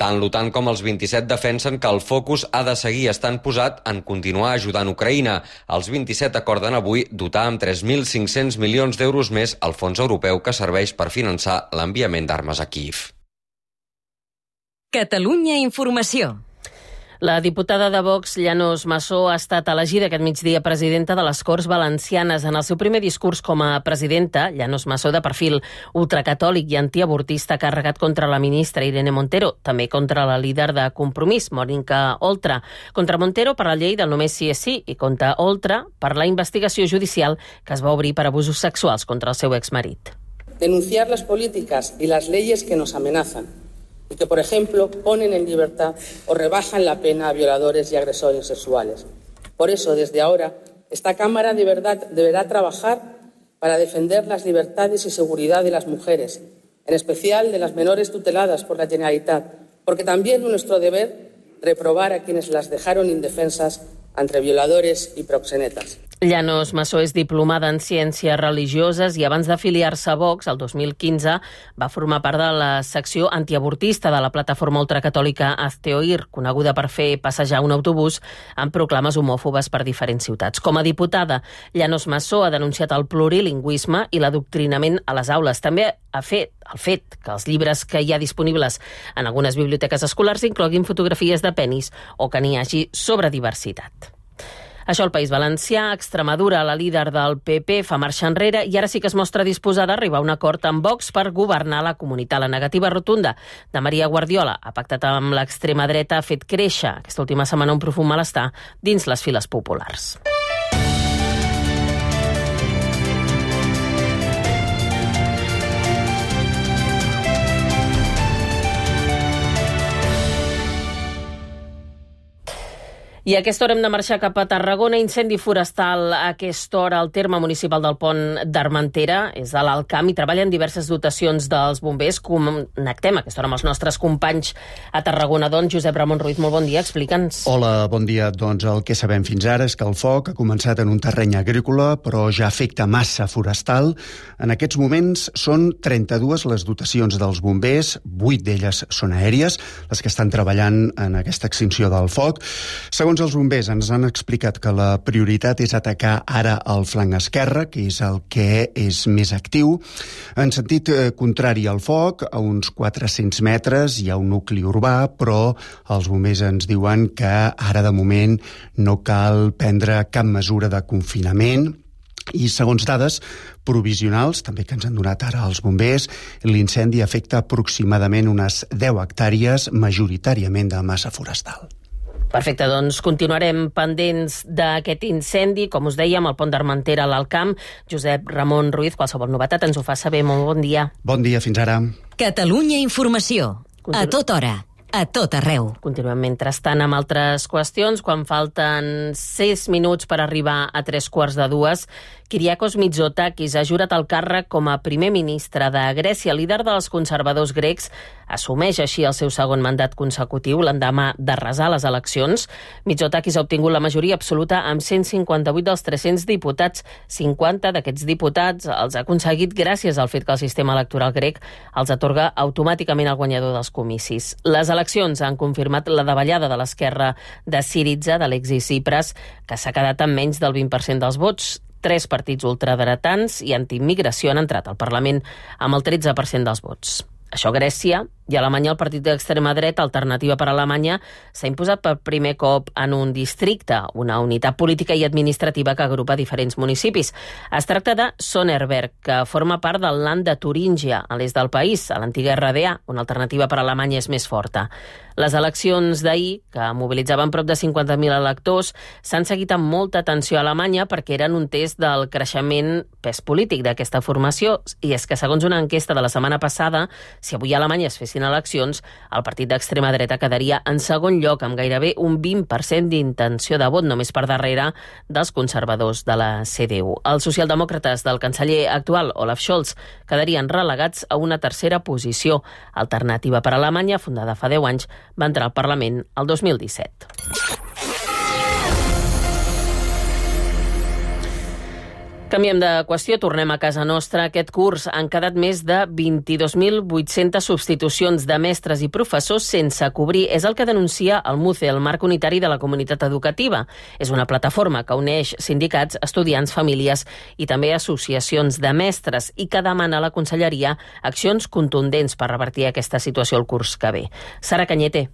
Tant l'OTAN com els vint-i-set defensen que el focus ha de seguir estant posat en continuar ajudant Ucraïna. Els vint-i-set acorden avui dotar amb tres mil cinc-cents milions d'euros més el fons europeu que serveix per finançar l'enviament d'armes a Kíiv. Catalunya Informació. La diputada de Vox, Llanos Massó, ha estat elegida aquest migdia presidenta de les Corts Valencianes. En el seu primer discurs com a presidenta, Llanos Massó, de perfil ultracatòlic i antiavortista, ha carregat contra la ministra Irene Montero, també contra la líder de Compromís, Mónica Oltra. Contra Montero per la llei del només sí és sí i contra Oltra per la investigació judicial que es va obrir per abusos sexuals contra el seu exmarit. Denunciar las políticas y las leyes que nos amenazan y que, por ejemplo, ponen en libertad o rebajan la pena a violadores y agresores sexuales. Por eso, desde ahora, esta Cámara de verdad deberá trabajar para defender las libertades y seguridad de las mujeres, en especial de las menores tuteladas por la Generalitat, porque también es nuestro deber reprobar a quienes las dejaron indefensas entre violadores i proxenetes. Llanos Massó és diplomada en Ciències Religioses i abans d'afiliar-se a Vox, el dos mil quinze, va formar part de la secció antiavortista de la plataforma ultracatòlica Hazte Oír, coneguda per fer passejar un autobús amb proclames homòfobes per diferents ciutats. Com a diputada, Llanos Massó ha denunciat el plurilingüisme i l'adoctrinament a les aules. També ha fet el fet que els llibres que hi ha disponibles en algunes biblioteques escolars incloguin fotografies de penis o que n'hi hagi sobre diversitat. Això al País Valencià. Extremadura, la líder del P P, fa marxa enrere i ara sí que es mostra disposada a arribar a un acord amb Vox per governar la comunitat. La negativa rotunda de Maria Guardiola ha pactat amb l'extrema dreta, ha fet créixer aquesta última setmana un profund malestar dins les files populars. I a aquesta hora hem de marxar cap a Tarragona. Incendi forestal a aquesta hora al terme municipal del Pont d'Armentera. És a l'Alt Camp i treballen diverses dotacions dels bombers. Connectem a aquesta hora amb els nostres companys a Tarragona. Doncs, Josep Ramon Ruiz, molt bon dia, explica'ns. Hola, bon dia. Doncs el que sabem fins ara és que el foc ha començat en un terreny agrícola, però ja afecta massa forestal. En aquests moments són trenta-dues les dotacions dels bombers, vuit d'elles són aèries, les que estan treballant en aquesta extinció del foc. Segons Segons els bombers, ens han explicat que la prioritat és atacar ara el flanc esquerre, que és el que és més actiu. En sentit contrari al foc, a uns quatre-cents metres hi ha un nucli urbà, però els bombers ens diuen que ara de moment no cal prendre cap mesura de confinament. I segons dades provisionals, també que ens han donat ara els bombers, l'incendi afecta aproximadament unes deu hectàrees, majoritàriament de massa forestal. Perfecte, doncs continuarem pendents d'aquest incendi. Com us dèiem, al Pont d'Armentera, a l'Alt Camp. Josep Ramon Ruiz, qualsevol novetat ens ho fa saber. Molt bon dia. Bon dia, fins ara. Catalunya Informació. Continu... A tota hora. A tot arreu. Continuem mentrestant amb altres qüestions. Quan falten sis minuts per arribar a tres quarts de dues, Kyriakos Mitsotakis ha jurat el càrrec com a primer ministre de Grècia. Líder dels conservadors grecs, assumeix així el seu segon mandat consecutiu l'endemà d'arrasar les eleccions. Mitsotakis ha obtingut la majoria absoluta amb cent cinquanta-vuit dels tres-cents diputats. cinquanta d'aquests diputats els ha aconseguit gràcies al fet que el sistema electoral grec els atorga automàticament el guanyador dels comicis. Les eleccions han confirmat la davallada de l'esquerra de Syriza, d'Alexis Tsipras, que s'ha quedat amb menys del vint per cent dels vots. Tres partits ultradretans i antiimmigració han entrat al Parlament amb el tretze per cent dels vots. Això a Grècia, i a Alemanya el partit d'extrema dreta, Alternativa per Alemanya, s'ha imposat per primer cop en un districte, una unitat política i administrativa que agrupa diferents municipis. Es tracta de Sonneberg, que forma part del Land de Turíngia, a l'est del país, a l'antiga R D A, on Alternativa per Alemanya és més forta. Les eleccions d'ahir, que mobilitzaven prop de cinquanta mil electors, s'han seguit amb molta atenció a Alemanya perquè eren un test del creixement pes polític d'aquesta formació. I és que, segons una enquesta de la setmana passada, si avui a Alemanya es fessin guanyessin eleccions, el partit d'extrema dreta quedaria en segon lloc amb gairebé un vint per cent d'intenció de vot, només per darrere dels conservadors de la C D U. Els socialdemòcrates del canceller actual, Olaf Scholz, quedarien relegats a una tercera posició. Alternativa per Alemanya, fundada fa deu anys, va entrar al Parlament el dos mil disset. Canviem de qüestió, tornem a casa nostra. Aquest curs han quedat més de vint-i-dos mil vuit-centes substitucions de mestres i professors sense cobrir. És el que denuncia el MUCE, el Marc Unitari de la Comunitat Educativa. És una plataforma que uneix sindicats, estudiants, famílies i també associacions de mestres i que demana a la Conselleria accions contundents per revertir aquesta situació el curs que ve. Sara Cañete.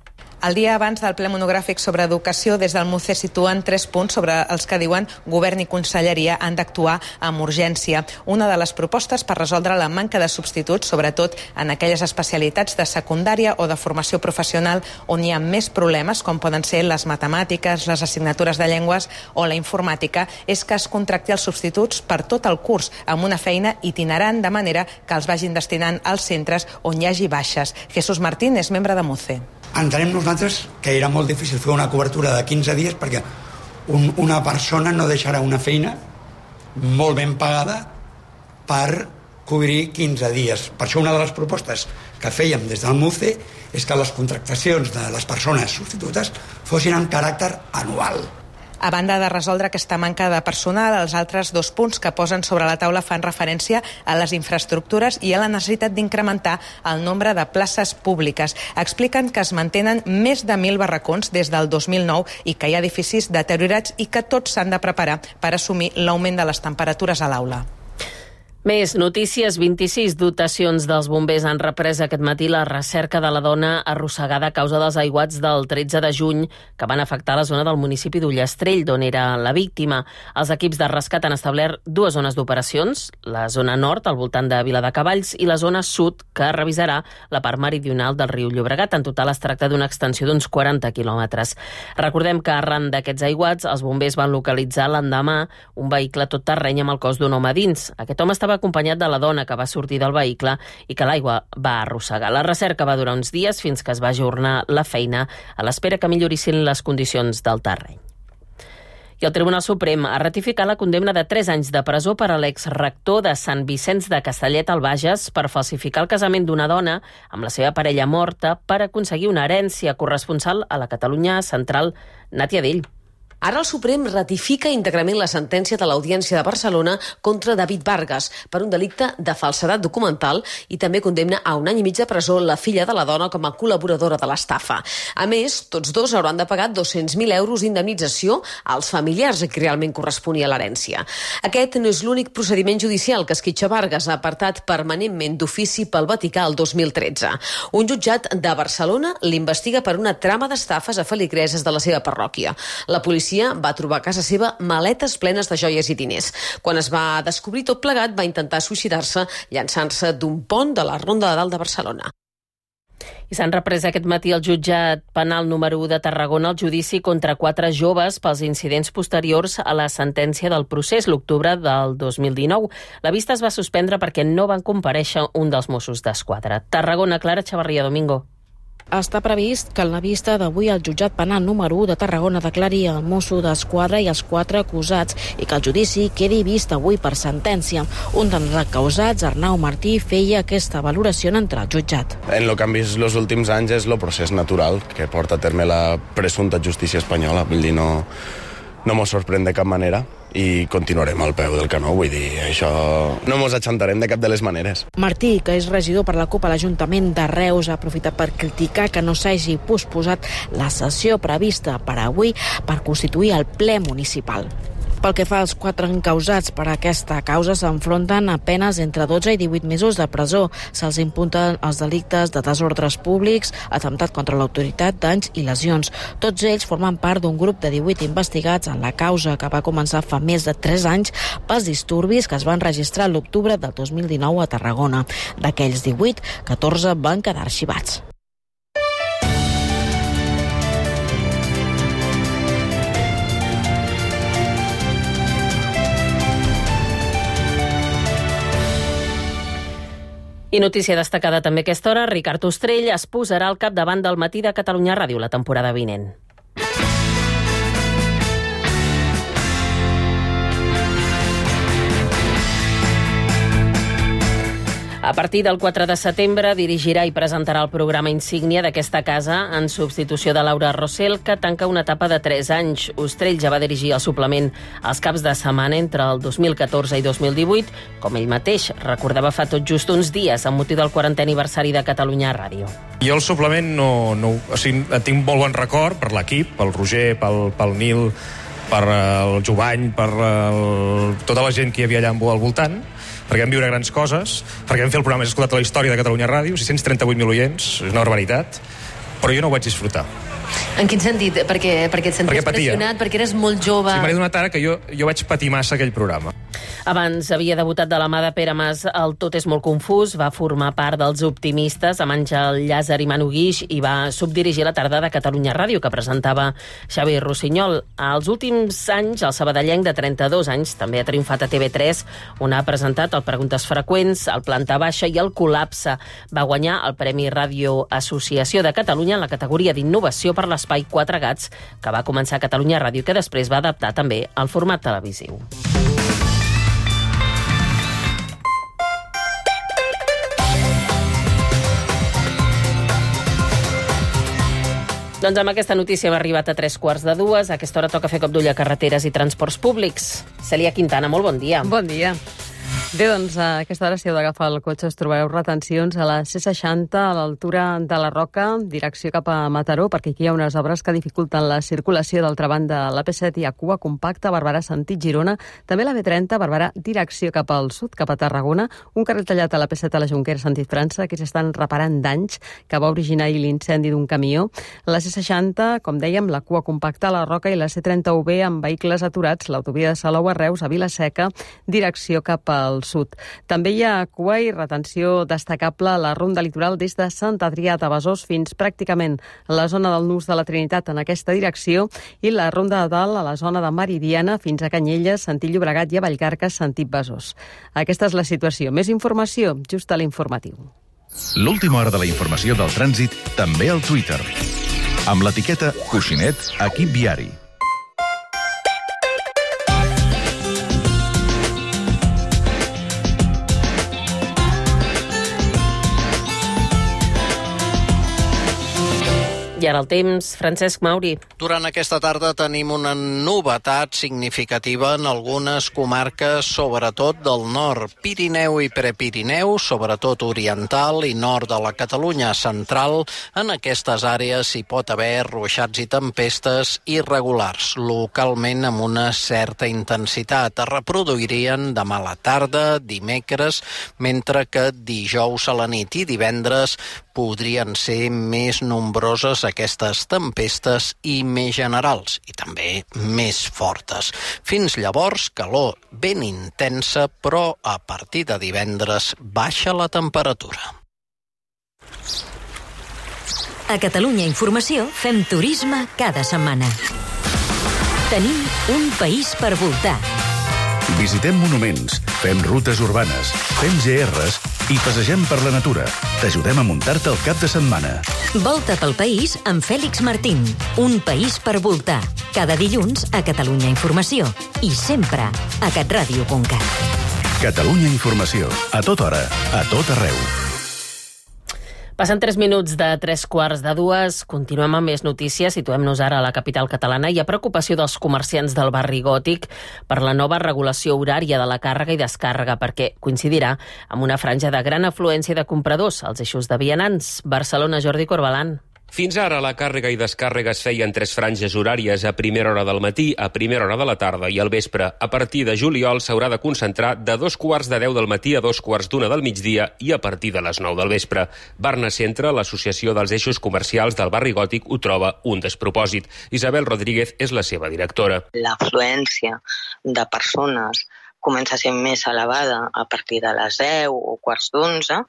El dia abans del ple monogràfic sobre educació, des del MUCE situen tres punts sobre els que diuen Govern i Conselleria han d'actuar amb urgència. Una de les propostes per resoldre la manca de substituts, sobretot en aquelles especialitats de secundària o de formació professional on hi ha més problemes, com poden ser les matemàtiques, les assignatures de llengües o la informàtica, és que es contracti els substituts per tot el curs, amb una feina itinerant, de manera que els vagin destinant als centres on hi hagi baixes. Jesús Martín és membre de MUCE. Entenem nosaltres que era molt difícil fer una cobertura de quinze dies perquè un, una persona no deixarà una feina molt ben pagada per cobrir quinze dies. Per això una de les propostes que fèiem des del MUCE és que les contractacions de les persones substitutes fossin amb caràcter anual. A banda de resoldre aquesta manca de personal, els altres dos punts que posen sobre la taula fan referència a les infraestructures i a la necessitat d'incrementar el nombre de places públiques. Expliquen que es mantenen més de mil barracons des del dos mil nou i que hi ha edificis deteriorats i que tots s'han de preparar per assumir l'augment de les temperatures a l'aula. Més notícies. vint-i-sis dotacions dels bombers han reprès aquest matí la recerca de la dona arrossegada a causa dels aiguats del tretze de juny que van afectar la zona del municipi d'Ullastrell, d'on era la víctima. Els equips de rescat han establert dues zones d'operacions, la zona nord, al voltant de Viladecavalls, i la zona sud, que revisarà la part meridional del riu Llobregat. En total es tracta d'una extensió d'uns quaranta quilòmetres. Recordem que arran d'aquests aiguats, els bombers van localitzar l'endemà un vehicle tot terreny amb el cos d'un home dins. Aquest home estava acompanyat de la dona que va sortir del vehicle i que l'aigua va arrossegar. La recerca va durar uns dies fins que es va ajornar la feina a l'espera que millorissin les condicions del terreny. I el Tribunal Suprem ha ratificat la condemna de tres anys de presó per a l'exrector de Sant Vicenç de Castellet al Bages per falsificar el casament d'una dona amb la seva parella morta per aconseguir una herència. Corresponsal a la Catalunya Central, Nàtia Dell. Ara el Suprem ratifica íntegrament la sentència de l'Audiència de Barcelona contra David Vargas per un delicte de falsedat documental i també condemna a un any i mig de presó la filla de la dona com a col·laboradora de l'estafa. A més, tots dos hauran de pagar dos-cents mil euros d'indemnització als familiars a qui realment corresponia l'herència. Aquest no és l'únic procediment judicial que esquitxa Vargas, apartat permanentment d'ofici pel Vaticà el dos mil tretze. Un jutjat de Barcelona l'investiga per una trama d'estafes a feligreses de la seva parròquia. La policia va trobar a casa seva maletes plenes de joies i diners. Quan es va descobrir tot plegat, va intentar suïcidar-se llançant-se d'un pont de la Ronda de Dalt de Barcelona. I s'han reprès aquest matí al jutjat penal número u de Tarragona el judici contra quatre joves pels incidents posteriors a la sentència del procés l'octubre del dos mil dinou. La vista es va suspendre perquè no van comparèixer un dels Mossos d'Esquadra. Tarragona, Clara Chavarria Domingo. Està previst que en la vista d'avui el jutjat penal número u de Tarragona declari el mosso d'Esquadra i els quatre acusats i que el judici quedi vist avui per sentència. Un dels acusats, Arnau Martí, feia aquesta valoració en entrar al jutjat. En lo que han vist els últims anys és el procés natural que porta a terme la presumpta justícia espanyola. Vull dir, no, no mos sorprèn de cap manera i continuarem al peu del canó, vull dir, això no mos achantarem de cap de les maneres. Martí, que és regidor per la CUP a l'Ajuntament de Reus, ha aprofitat per criticar que no s'hagi posposat la sessió prevista per avui per constituir el ple municipal. Pel que fa als quatre encausats per aquesta causa, s'enfronten a penes entre dotze i divuit mesos de presó. Se'ls imputen els delictes de desordres públics, atemptat contra l'autoritat, danys i lesions. Tots ells formen part d'un grup de divuit investigats en la causa que va començar fa més de tres anys pels disturbis que es van registrar l'octubre del dos mil dinou a Tarragona. D'aquells divuit, catorze van quedar arxivats. I I notícia destacada també a aquesta hora, Ricard Ostrell es posarà al capdavant del Matí de Catalunya Ràdio la temporada vinent. A partir del quatre de setembre dirigirà i presentarà el programa insígnia d'aquesta casa en substitució de Laura Rossell, que tanca una etapa de tres anys. Ostrell ja va dirigir el suplement als caps de setmana entre el dos mil catorze i dos mil divuit, com ell mateix recordava fa tot just uns dies amb motiu del quarantè aniversari de Catalunya Ràdio. Jo el suplement no, no, o sigui, tinc molt bon record per l'equip, pel Roger, pel, pel Nil, per el Jovany, per el, tota la gent que hi havia allà al voltant, perquè vam viure grans coses, perquè vam fer el programa més escoltat a la història de Catalunya Ràdio, sis-cents trenta-vuit mil oients, és una barbaritat, però jo no ho vaig disfrutar. En quin sentit? Perquè, perquè et senties perquè pressionat, perquè eres molt jove... Sí, m'ha donat ara que jo, jo vaig patir massa aquell programa. Abans havia debutat de la mà de Pere Mas el Tot és molt confús, va formar part dels optimistes amb Àngel Llàzer i Manu Guix i va subdirigir la tarda de Catalunya Ràdio, que presentava Xavi Rossinyol. Als últims anys, el sabadellenc de trenta-dos anys també ha triomfat a T V tres, on ha presentat el Preguntes Freqüents, el Planta Baixa i el Col·lapse. Va guanyar el Premi Ràdio Associació de Catalunya en la categoria d'innovació per l'espai Quatre Gats, que va començar a Catalunya Ràdio i que després va adaptar també al format televisiu. Doncs amb aquesta notícia hem arribat a tres quarts de dues. A aquesta hora toca fer cop d'ull a carreteres i transports públics. Cèlia Quintana, molt bon dia. Bon dia. Bé, doncs a aquesta hora, si heu d'agafar el cotxe, us trobareu retencions a la C seixanta, a l'altura de la Roca, direcció cap a Mataró, perquè aquí hi ha unes obres que dificulten la circulació. D'altra banda, a l'A P set hi ha cua compacta, Barberà sentit Girona, també la B trenta, Barberà direcció cap al sud, cap a Tarragona, un carril tallat a l'A P set a la Jonquera sentit França, que s'estan reparant danys que va originar l'incendi d'un camió. La C seixanta, com dèiem, la cua compacta a la Roca i la C trenta U B amb vehicles aturats, l'autovia de Salou a Reus, a Vila-seca, direcció cap al sud. També hi ha cua i retenció destacable a la ronda litoral des de Sant Adrià de Besòs fins pràcticament a la zona del Nus de la Trinitat en aquesta direcció i la ronda de dalt a la zona de Meridiana fins a Canyelles, sentit Llobregat i a Vallcarca, sentit Besòs. Aquesta és la situació. Més informació just a l'informatiu. L'última hora de la informació del trànsit també al Twitter. Amb l'etiqueta Coixinet Equip Viari. I ara el temps, Francesc Mauri. Durant aquesta tarda tenim una novetat significativa en algunes comarques, sobretot del nord, Pirineu i Prepirineu, sobretot oriental i nord de la Catalunya central. En aquestes àrees hi pot haver ruixats i tempestes irregulars, localment amb una certa intensitat. Es reproduirien demà a la tarda, dimecres, mentre que dijous a la nit i divendres podrien ser més nombroses aquestes tempestes i més generals, i també més fortes. Fins llavors, calor ben intensa, però a partir de divendres baixa la temperatura. A Catalunya Informació fem turisme cada setmana. Tenim un país per voltar. Visitem monuments, fem rutes urbanes, fem G Rs i passegem per la natura. T'ajudem a muntar-te el cap de setmana. Volta pel país amb Fèlix Martín. Un país per voltar. Cada dilluns a Catalunya Informació. I sempre a catradio punt cat. Catalunya Informació. A tota hora, a tot arreu. Passen tres minuts de tres quarts de dues. Continuem amb més notícies. Situem-nos ara a la capital catalana. Hi ha preocupació dels comerciants del barri Gòtic per la nova regulació horària de la càrrega i descàrrega, perquè coincidirà amb una franja de gran afluència de compradors als eixos de vianants. Barcelona, Jordi Corbalan. Fins ara la càrrega i descàrrega es feien tres franges horàries, a primera hora del matí, a primera hora de la tarda i al vespre. A partir de juliol s'haurà de concentrar de dos quarts de deu del matí a dos quarts d'una del migdia i a partir de les nou del vespre. Barna Centre, l'associació dels eixos comercials del barri Gòtic, ho troba un despropòsit. Isabel Rodríguez és la seva directora. L'afluència de persones comença a ser més elevada a partir de les deu o quarts d'onze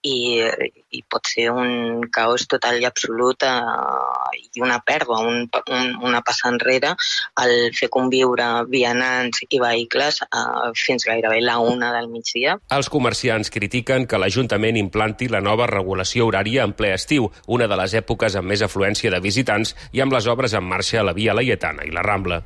i, i pot ser un caos total i absolut eh, i una pèrdua, un, un, una passa enrere al fer conviure vianants i vehicles eh, fins gairebé la una del migdia. Els comerciants critiquen que l'Ajuntament implanti la nova regulació horària en ple estiu, una de les èpoques amb més afluència de visitants i amb les obres en marxa a la Via Laietana i la Rambla.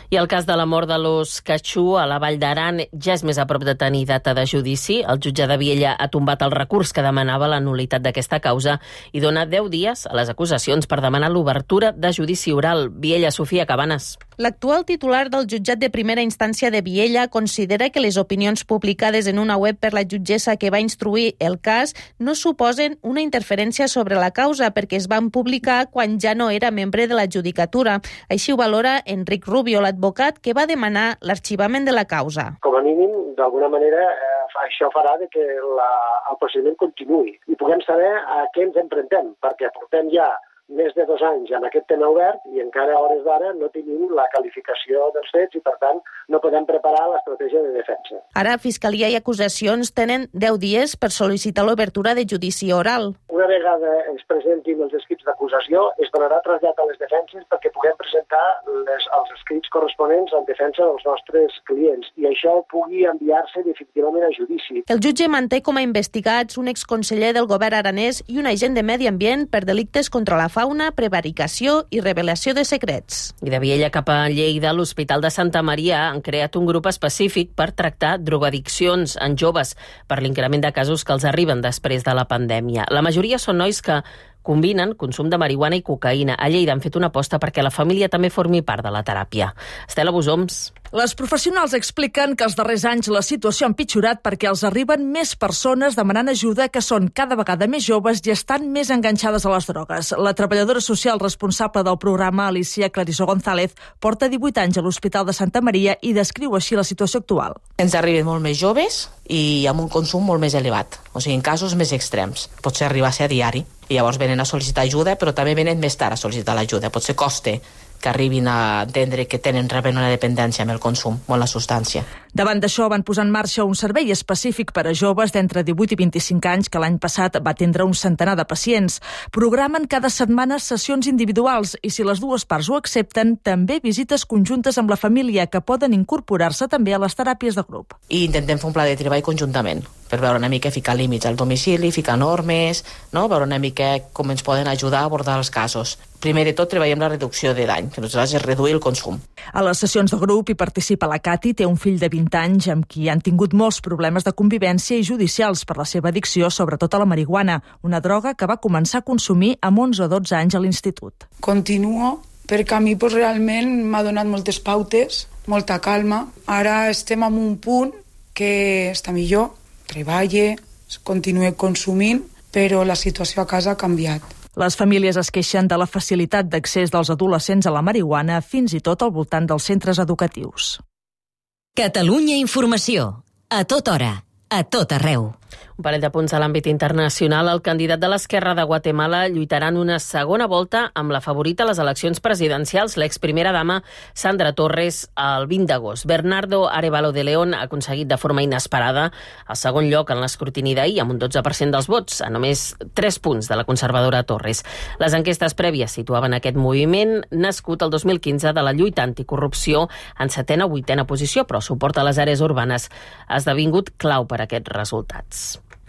I el cas de la mort de l'os Catxú a la Vall d'Aran ja és més a prop de tenir data de judici. El jutge de Viella ha tombat el recurs que demanava la nul·litat d'aquesta causa i dona deu dies a les acusacions per demanar l'obertura de judici oral. Viella, Sofia Cabanes. L'actual titular del jutjat de primera instància de Viella considera que les opinions publicades en una web per la jutgessa que va instruir el cas no suposen una interferència sobre la causa perquè es van publicar quan ja no era membre de la judicatura. Així ho valora Enric Rubio, l'advocat que va demanar l'arxivament de la causa. Com a mínim, d'alguna manera, eh, això farà de que la, el procediment continuï i puguem saber a què ens emprentem, perquè portem ja més de dos anys amb aquest tema obert i encara a hores d'ara no tenim la qualificació dels fets i, per tant, no podem preparar l'estratègia de defensa. Ara, Fiscalia i acusacions tenen deu dies per sol·licitar l'obertura de judici oral. Una vegada es presentin els escrits d'acusació, es donarà trasllat a les defenses perquè puguem presentar les, els escrits corresponents en defensa dels nostres clients i això pugui enviar-se definitivament a judici. El jutge manté com a investigats un exconseller del govern aranès i un agent de Medi Ambient per delictes contra la fauna, prevaricació i revelació de secrets. I de Viella cap a Lleida, l'Hospital de Santa Maria han creat un grup específic per tractar drogoaddiccions en joves per l'increment de casos que els arriben després de la pandèmia. La majoria són nois que combinen consum de marihuana i cocaïna. A Lleida han fet una aposta perquè la família també formi part de la teràpia. Estela Bosoms. Les professionals expliquen que els darrers anys la situació ha empitjorat perquè els arriben més persones demanant ajuda que són cada vegada més joves i estan més enganxades a les drogues. La treballadora social responsable del programa, Alicia Clarisó González, porta divuit anys a l'Hospital de Santa Maria i descriu així la situació actual. Ens arriben molt més joves i amb un consum molt més elevat, o sigui, en casos més extrems. Potser arribar a ser a diari. I llavors venen a sol·licitar ajuda, però també venen més tard a sol·licitar l'ajuda. Potser costa que arribin a entendre que tenen reben una dependència amb el consum o amb la substància. Davant d'això van posar en marxa un servei específic per a joves d'entre divuit i vint-i-cinc anys que l'any passat va atendre un centenar de pacients. Programen cada setmana sessions individuals i si les dues parts ho accepten, també visites conjuntes amb la família que poden incorporar-se també a les teràpies de grup. I intentem fer un pla de treball conjuntament per veure una mica, ficar límits al domicili, ficar normes, no? Veure una mica com ens poden ajudar a abordar els casos. Primer de tot, treballem la reducció de dany, que nosaltres és reduir el consum. A les sessions de grup hi participa la Cati, té un fill de vint anys amb qui han tingut molts problemes de convivència i judicials per la seva addicció, sobretot a la marihuana, una droga que va començar a consumir amb onze o dotze anys a l'institut. Continuo perquè a mi pues, realment m'ha donat moltes pautes, molta calma. Ara estem en un punt que està millor, treballe, continue consumint, però la situació a casa ha canviat. Les famílies es queixen de la facilitat d'accés dels adolescents a la marihuana fins i tot al voltant dels centres educatius. Catalunya Informació. A tota hora. A tot arreu. Un parell de punts a l'àmbit internacional. El candidat de l'Esquerra de Guatemala lluitarà en una segona volta amb la favorita a les eleccions presidencials, l'exprimera dama Sandra Torres, el vint d'agost. Bernardo Arévalo de León ha aconseguit de forma inesperada el segon lloc en l'escrutini d'ahir, amb un dotze per cent dels vots, a només tres punts de la conservadora Torres. Les enquestes prèvies situaven aquest moviment, nascut el dos mil quinze de la lluita anticorrupció, en setena o vuitena posició, però suport a les àrees urbanes ha esdevingut clau per a aquests resultats.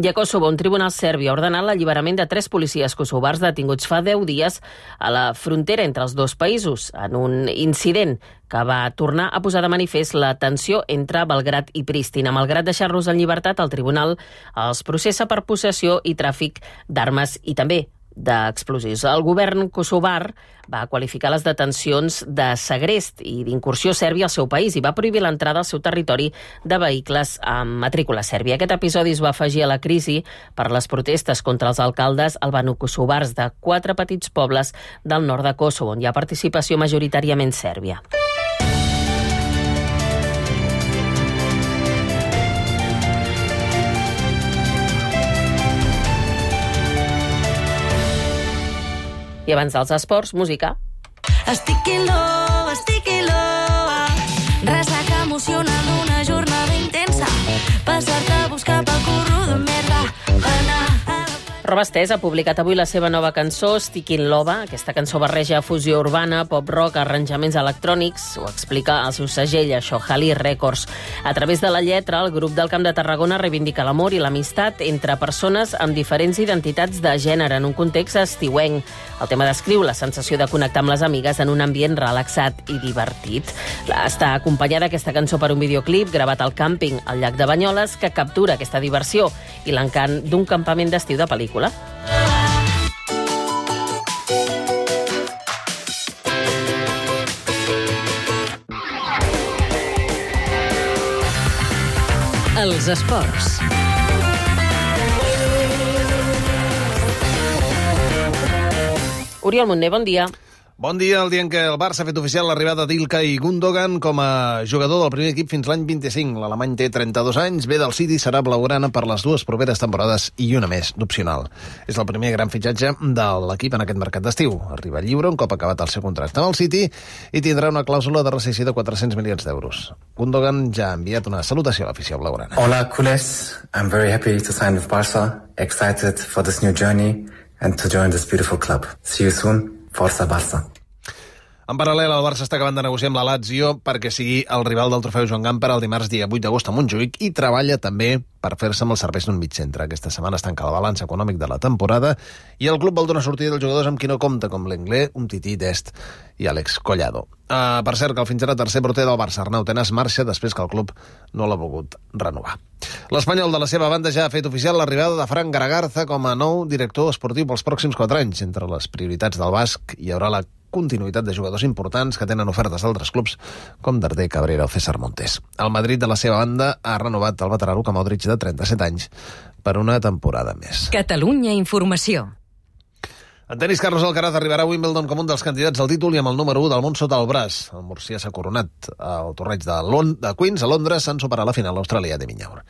I a Kosovo, un tribunal serbi ha ordenat l'alliberament de tres policies kosovars detinguts fa deu dies a la frontera entre els dos països, en un incident que va tornar a posar de manifest la tensió entre Belgrad i Pristina. Malgrat deixar-los en llibertat, el tribunal els processa per possessió i tràfic d'armes i també d'explosius. El govern kosovar va qualificar les detencions de segrest i d'incursió sèrbia al seu país i va prohibir l'entrada al seu territori de vehicles amb matrícula sèrbia. Aquest episodi es va afegir a la crisi per les protestes contra els alcaldes albano-kosovars de quatre petits pobles del nord de Kosovo, on hi ha participació majoritàriament sèrbia. I abans dels esports, música. Estic in love, estic in love. Ressaca emocional d'una jornada passar-te a buscar pel curro de merda, anar a la... Roba Estès ha publicat avui la seva nova cançó, Stickin' Lova. Aquesta cançó barreja fusió urbana, pop-rock, arranjaments electrònics. Ho explica el seu segell, això, Halley Records. A través de la lletra, el grup del Camp de Tarragona reivindica l'amor i l'amistat entre persones amb diferents identitats de gènere en un context estiuenc. El tema descriu la sensació de connectar amb les amigues en un ambient relaxat i divertit. Està acompanyada aquesta cançó per un videoclip gravat al càmping al llac de Banyoles que captura aquesta diversió i l'encant d'un campament d'estiu de pel·lícula. Els esports. Oriol Montner, bon dia. Bon dia, el dia en què el Barça ha fet oficial l'arribada d'Ilkay Gundogan com a jugador del primer equip fins l'any vint-i-cinc. L'alemany té trenta-dos anys, ve del City, serà blaugrana per les dues properes temporades i una més d'opcional. És el primer gran fitxatge de l'equip en aquest mercat d'estiu. Arriba lliure un cop acabat el seu contracte amb el City i tindrà una clàusula de rescissió de quatre-cents milions d'euros. Gundogan ja ha enviat una salutació a l'afició blaugrana. Hola, culers. I'm very happy to sign with Barça. Excited for this new journey and to join this beautiful club. See you soon. Força Barça. En paral·lel, el Barça està acabant de negociar amb la Lazio perquè sigui el rival del trofeu Joan Gamper el dimarts dia vuit d'agost a Montjuïc i treballa també per fer-se amb els serveis d'un mig centre. Aquesta setmana es tanca el balanç econòmic de la temporada i el club vol donar sortida dels jugadors amb qui no compta, com l'Englé, Umtiti, Dest i Àlex Collado. Uh, per cert, que el fins ara tercer porter del Barça, Arnau Tenas, marxa després que el club no l'ha volgut renovar. L'Espanyol, de la seva banda, ja ha fet oficial l'arribada de Fran Garagarza com a nou director esportiu pels pròxims quatre anys. Entre les prioritats del basc hi haurà la continuïtat de jugadors importants que tenen ofertes d'altres clubs, com Darder, Cabrera o César Montes. El Madrid, de la seva banda, ha renovat el veterà Luka Modric, de trenta-set anys, per una temporada més. Catalunya Informació. En tenis, Carlos Alcaraz arribarà a Wimbledon com un dels candidats al títol i amb el número u del món sota el braç. El murcià s'ha coronat al torneig de, Lond- de Queens, a Londres, en superar la final l'australià de Minyaur.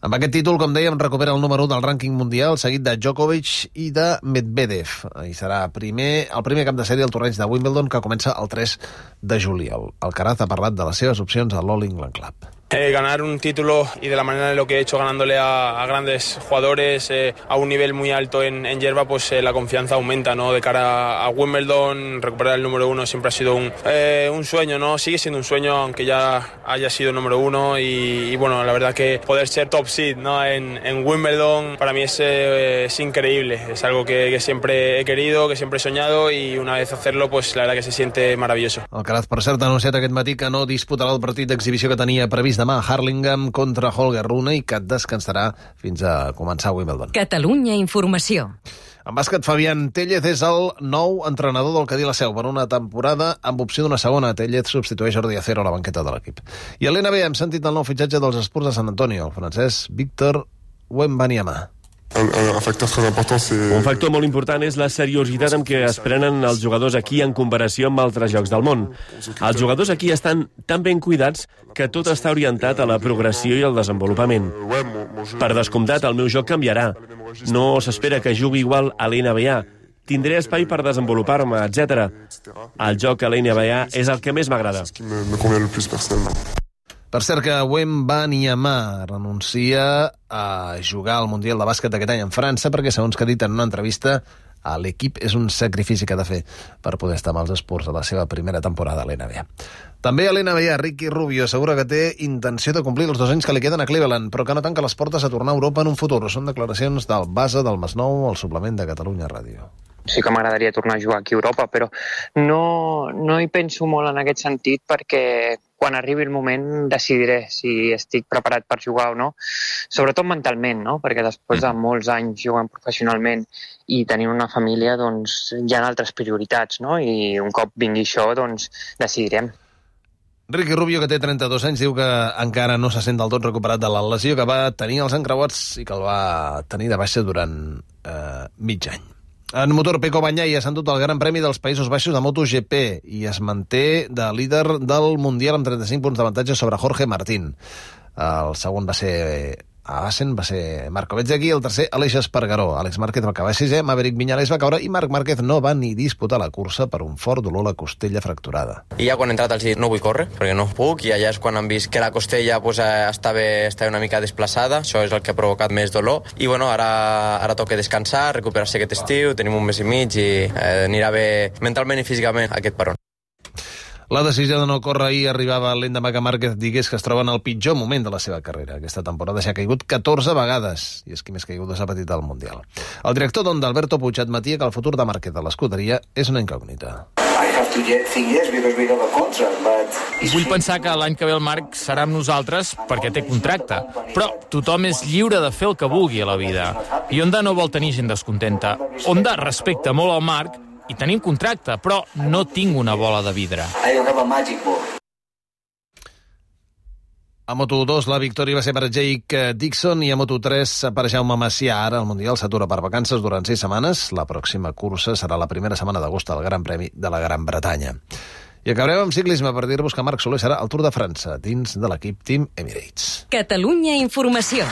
Amb aquest títol, com dèiem, recupera el número u del rànquing mundial, seguit de Djokovic i de Medvedev. I serà primer, el primer cap de sèrie al torneig de Wimbledon, que comença el tres de juliol. Alcaraz ha parlat de les seves opcions al All England Club. Eh, ganar un título y de la manera de lo que he hecho ganándole a, a grandes jugadores eh, a un nivel muy alto en, en hierba, pues eh, la confianza aumenta, ¿no? De cara a Wimbledon, recuperar el número uno siempre ha sido un, eh, un sueño, ¿no? Sigue siendo un sueño, aunque ya haya sido número uno y, y bueno, la verdad que poder ser top seed, ¿no? en, en Wimbledon para mí es, eh, es increíble, es algo que, que siempre he querido, que siempre he soñado y una vez hacerlo, pues la verdad que se siente maravilloso. Alcaraz, per cert, ha anunciat aquest matí que no disputarà el partit d'exhibició que tenia previst demà a Harlingham contra Holger Rune i que descansarà fins a començar Wimbledon. Catalunya Informació. En bàsquet, Fabián Téllez és el nou entrenador del Cadí la Seu per una temporada amb opció d'una segona. Téllez substitueix Jordi Acero a la banqueta de l'equip. I a l'N B A hem sentit el nou fitxatge dels Spurs de Sant Antonio, el francès Víctor Wembanyama. Un factor molt important és la seriositat amb què es prenen els jugadors aquí en comparació amb altres llocs del món. Els jugadors aquí estan tan ben cuidats que tot està orientat a la progressió i al desenvolupament. Per descomptat, el meu joc canviarà. No s'espera que jugui igual a l'N B A. Tindré espai per desenvolupar-me, etcètera. El joc a l'N B A és el que més m'agrada. Per cert, que Wembanyama renuncia a jugar al Mundial de Bàsquet aquest any en França perquè, segons que ha dit en una entrevista, a l'equip és un sacrifici que ha de fer per poder estar amb els Spurs a la seva primera temporada a l'N B A. També a l'N B A, Ricky Rubio assegura que té intenció de complir els dos anys que li queden a Cleveland, però que no tanca les portes a tornar a Europa en un futur. Són declaracions del base del Masnou al suplement de Catalunya Ràdio. Sí que m'agradaria tornar a jugar aquí a Europa, però no, no hi penso molt en aquest sentit perquè quan arribi el moment decidiré si estic preparat per jugar o no, sobretot mentalment, no? Perquè després de molts anys jugant professionalment i tenint una família, doncs hi ha altres prioritats, no? I un cop vingui això, doncs decidirem. Ricky Rubio, que té trenta-dos anys, diu que encara no se sent del tot recuperat de la lesió que va tenir als encreuats i que el va tenir de baixa durant eh, mig any. En motor, Pecco Bagnaia s'ha endut el Gran Premi dels Països Baixos de MotoGP i es manté de líder del Mundial amb trenta-cinc punts d'avantatge sobre Jorge Martín. El segon va ser a Assen va ser Marco Bezzecchi, el tercer Aleix Espargaró. Àlex Márquez va acabar sisè, Maverick Viñales va caure i Marc Márquez no va ni disputar la cursa per un fort dolor a la costella fracturada. I ja quan he entrat els dit no vull córrer, perquè no puc, i allà és quan han vist que la costella pues, estava, estava una mica desplaçada, això és el que ha provocat més dolor, i bueno, ara, ara toca descansar, recuperar-se aquest estiu, tenim un mes i mig i eh, anirà bé mentalment i físicament aquest peron. La decisió de no córrer ahir arribava l'endemà que Márquez digués que es troba en el pitjor moment de la seva carrera. Aquesta temporada s'ha caigut catorze vegades, i és qui més caiguda s'ha patit al Mundial. El director d'Honda, Alberto Puig, admetia que el futur de Márquez a l'escuderia és una incògnita. Vull pensar que l'any que ve el Marc serà amb nosaltres perquè té contracte, però tothom és lliure de fer el que vulgui a la vida. I Honda no vol tenir gent descontenta. Honda respecta molt el Marc i tenim contracte, però no tinc una bola de vidre. A Moto dos la victòria va ser per Jake Dixon i a Moto tres per Jaume Macià. Ara el Mundial s'atura per vacances durant sis setmanes. La pròxima cursa serà la primera setmana d'agost al Gran Premi de la Gran Bretanya. I acabarem amb ciclisme per dir-vos que Marc Soler serà al Tour de França dins de l'equip Team Emirates. Catalunya Informació.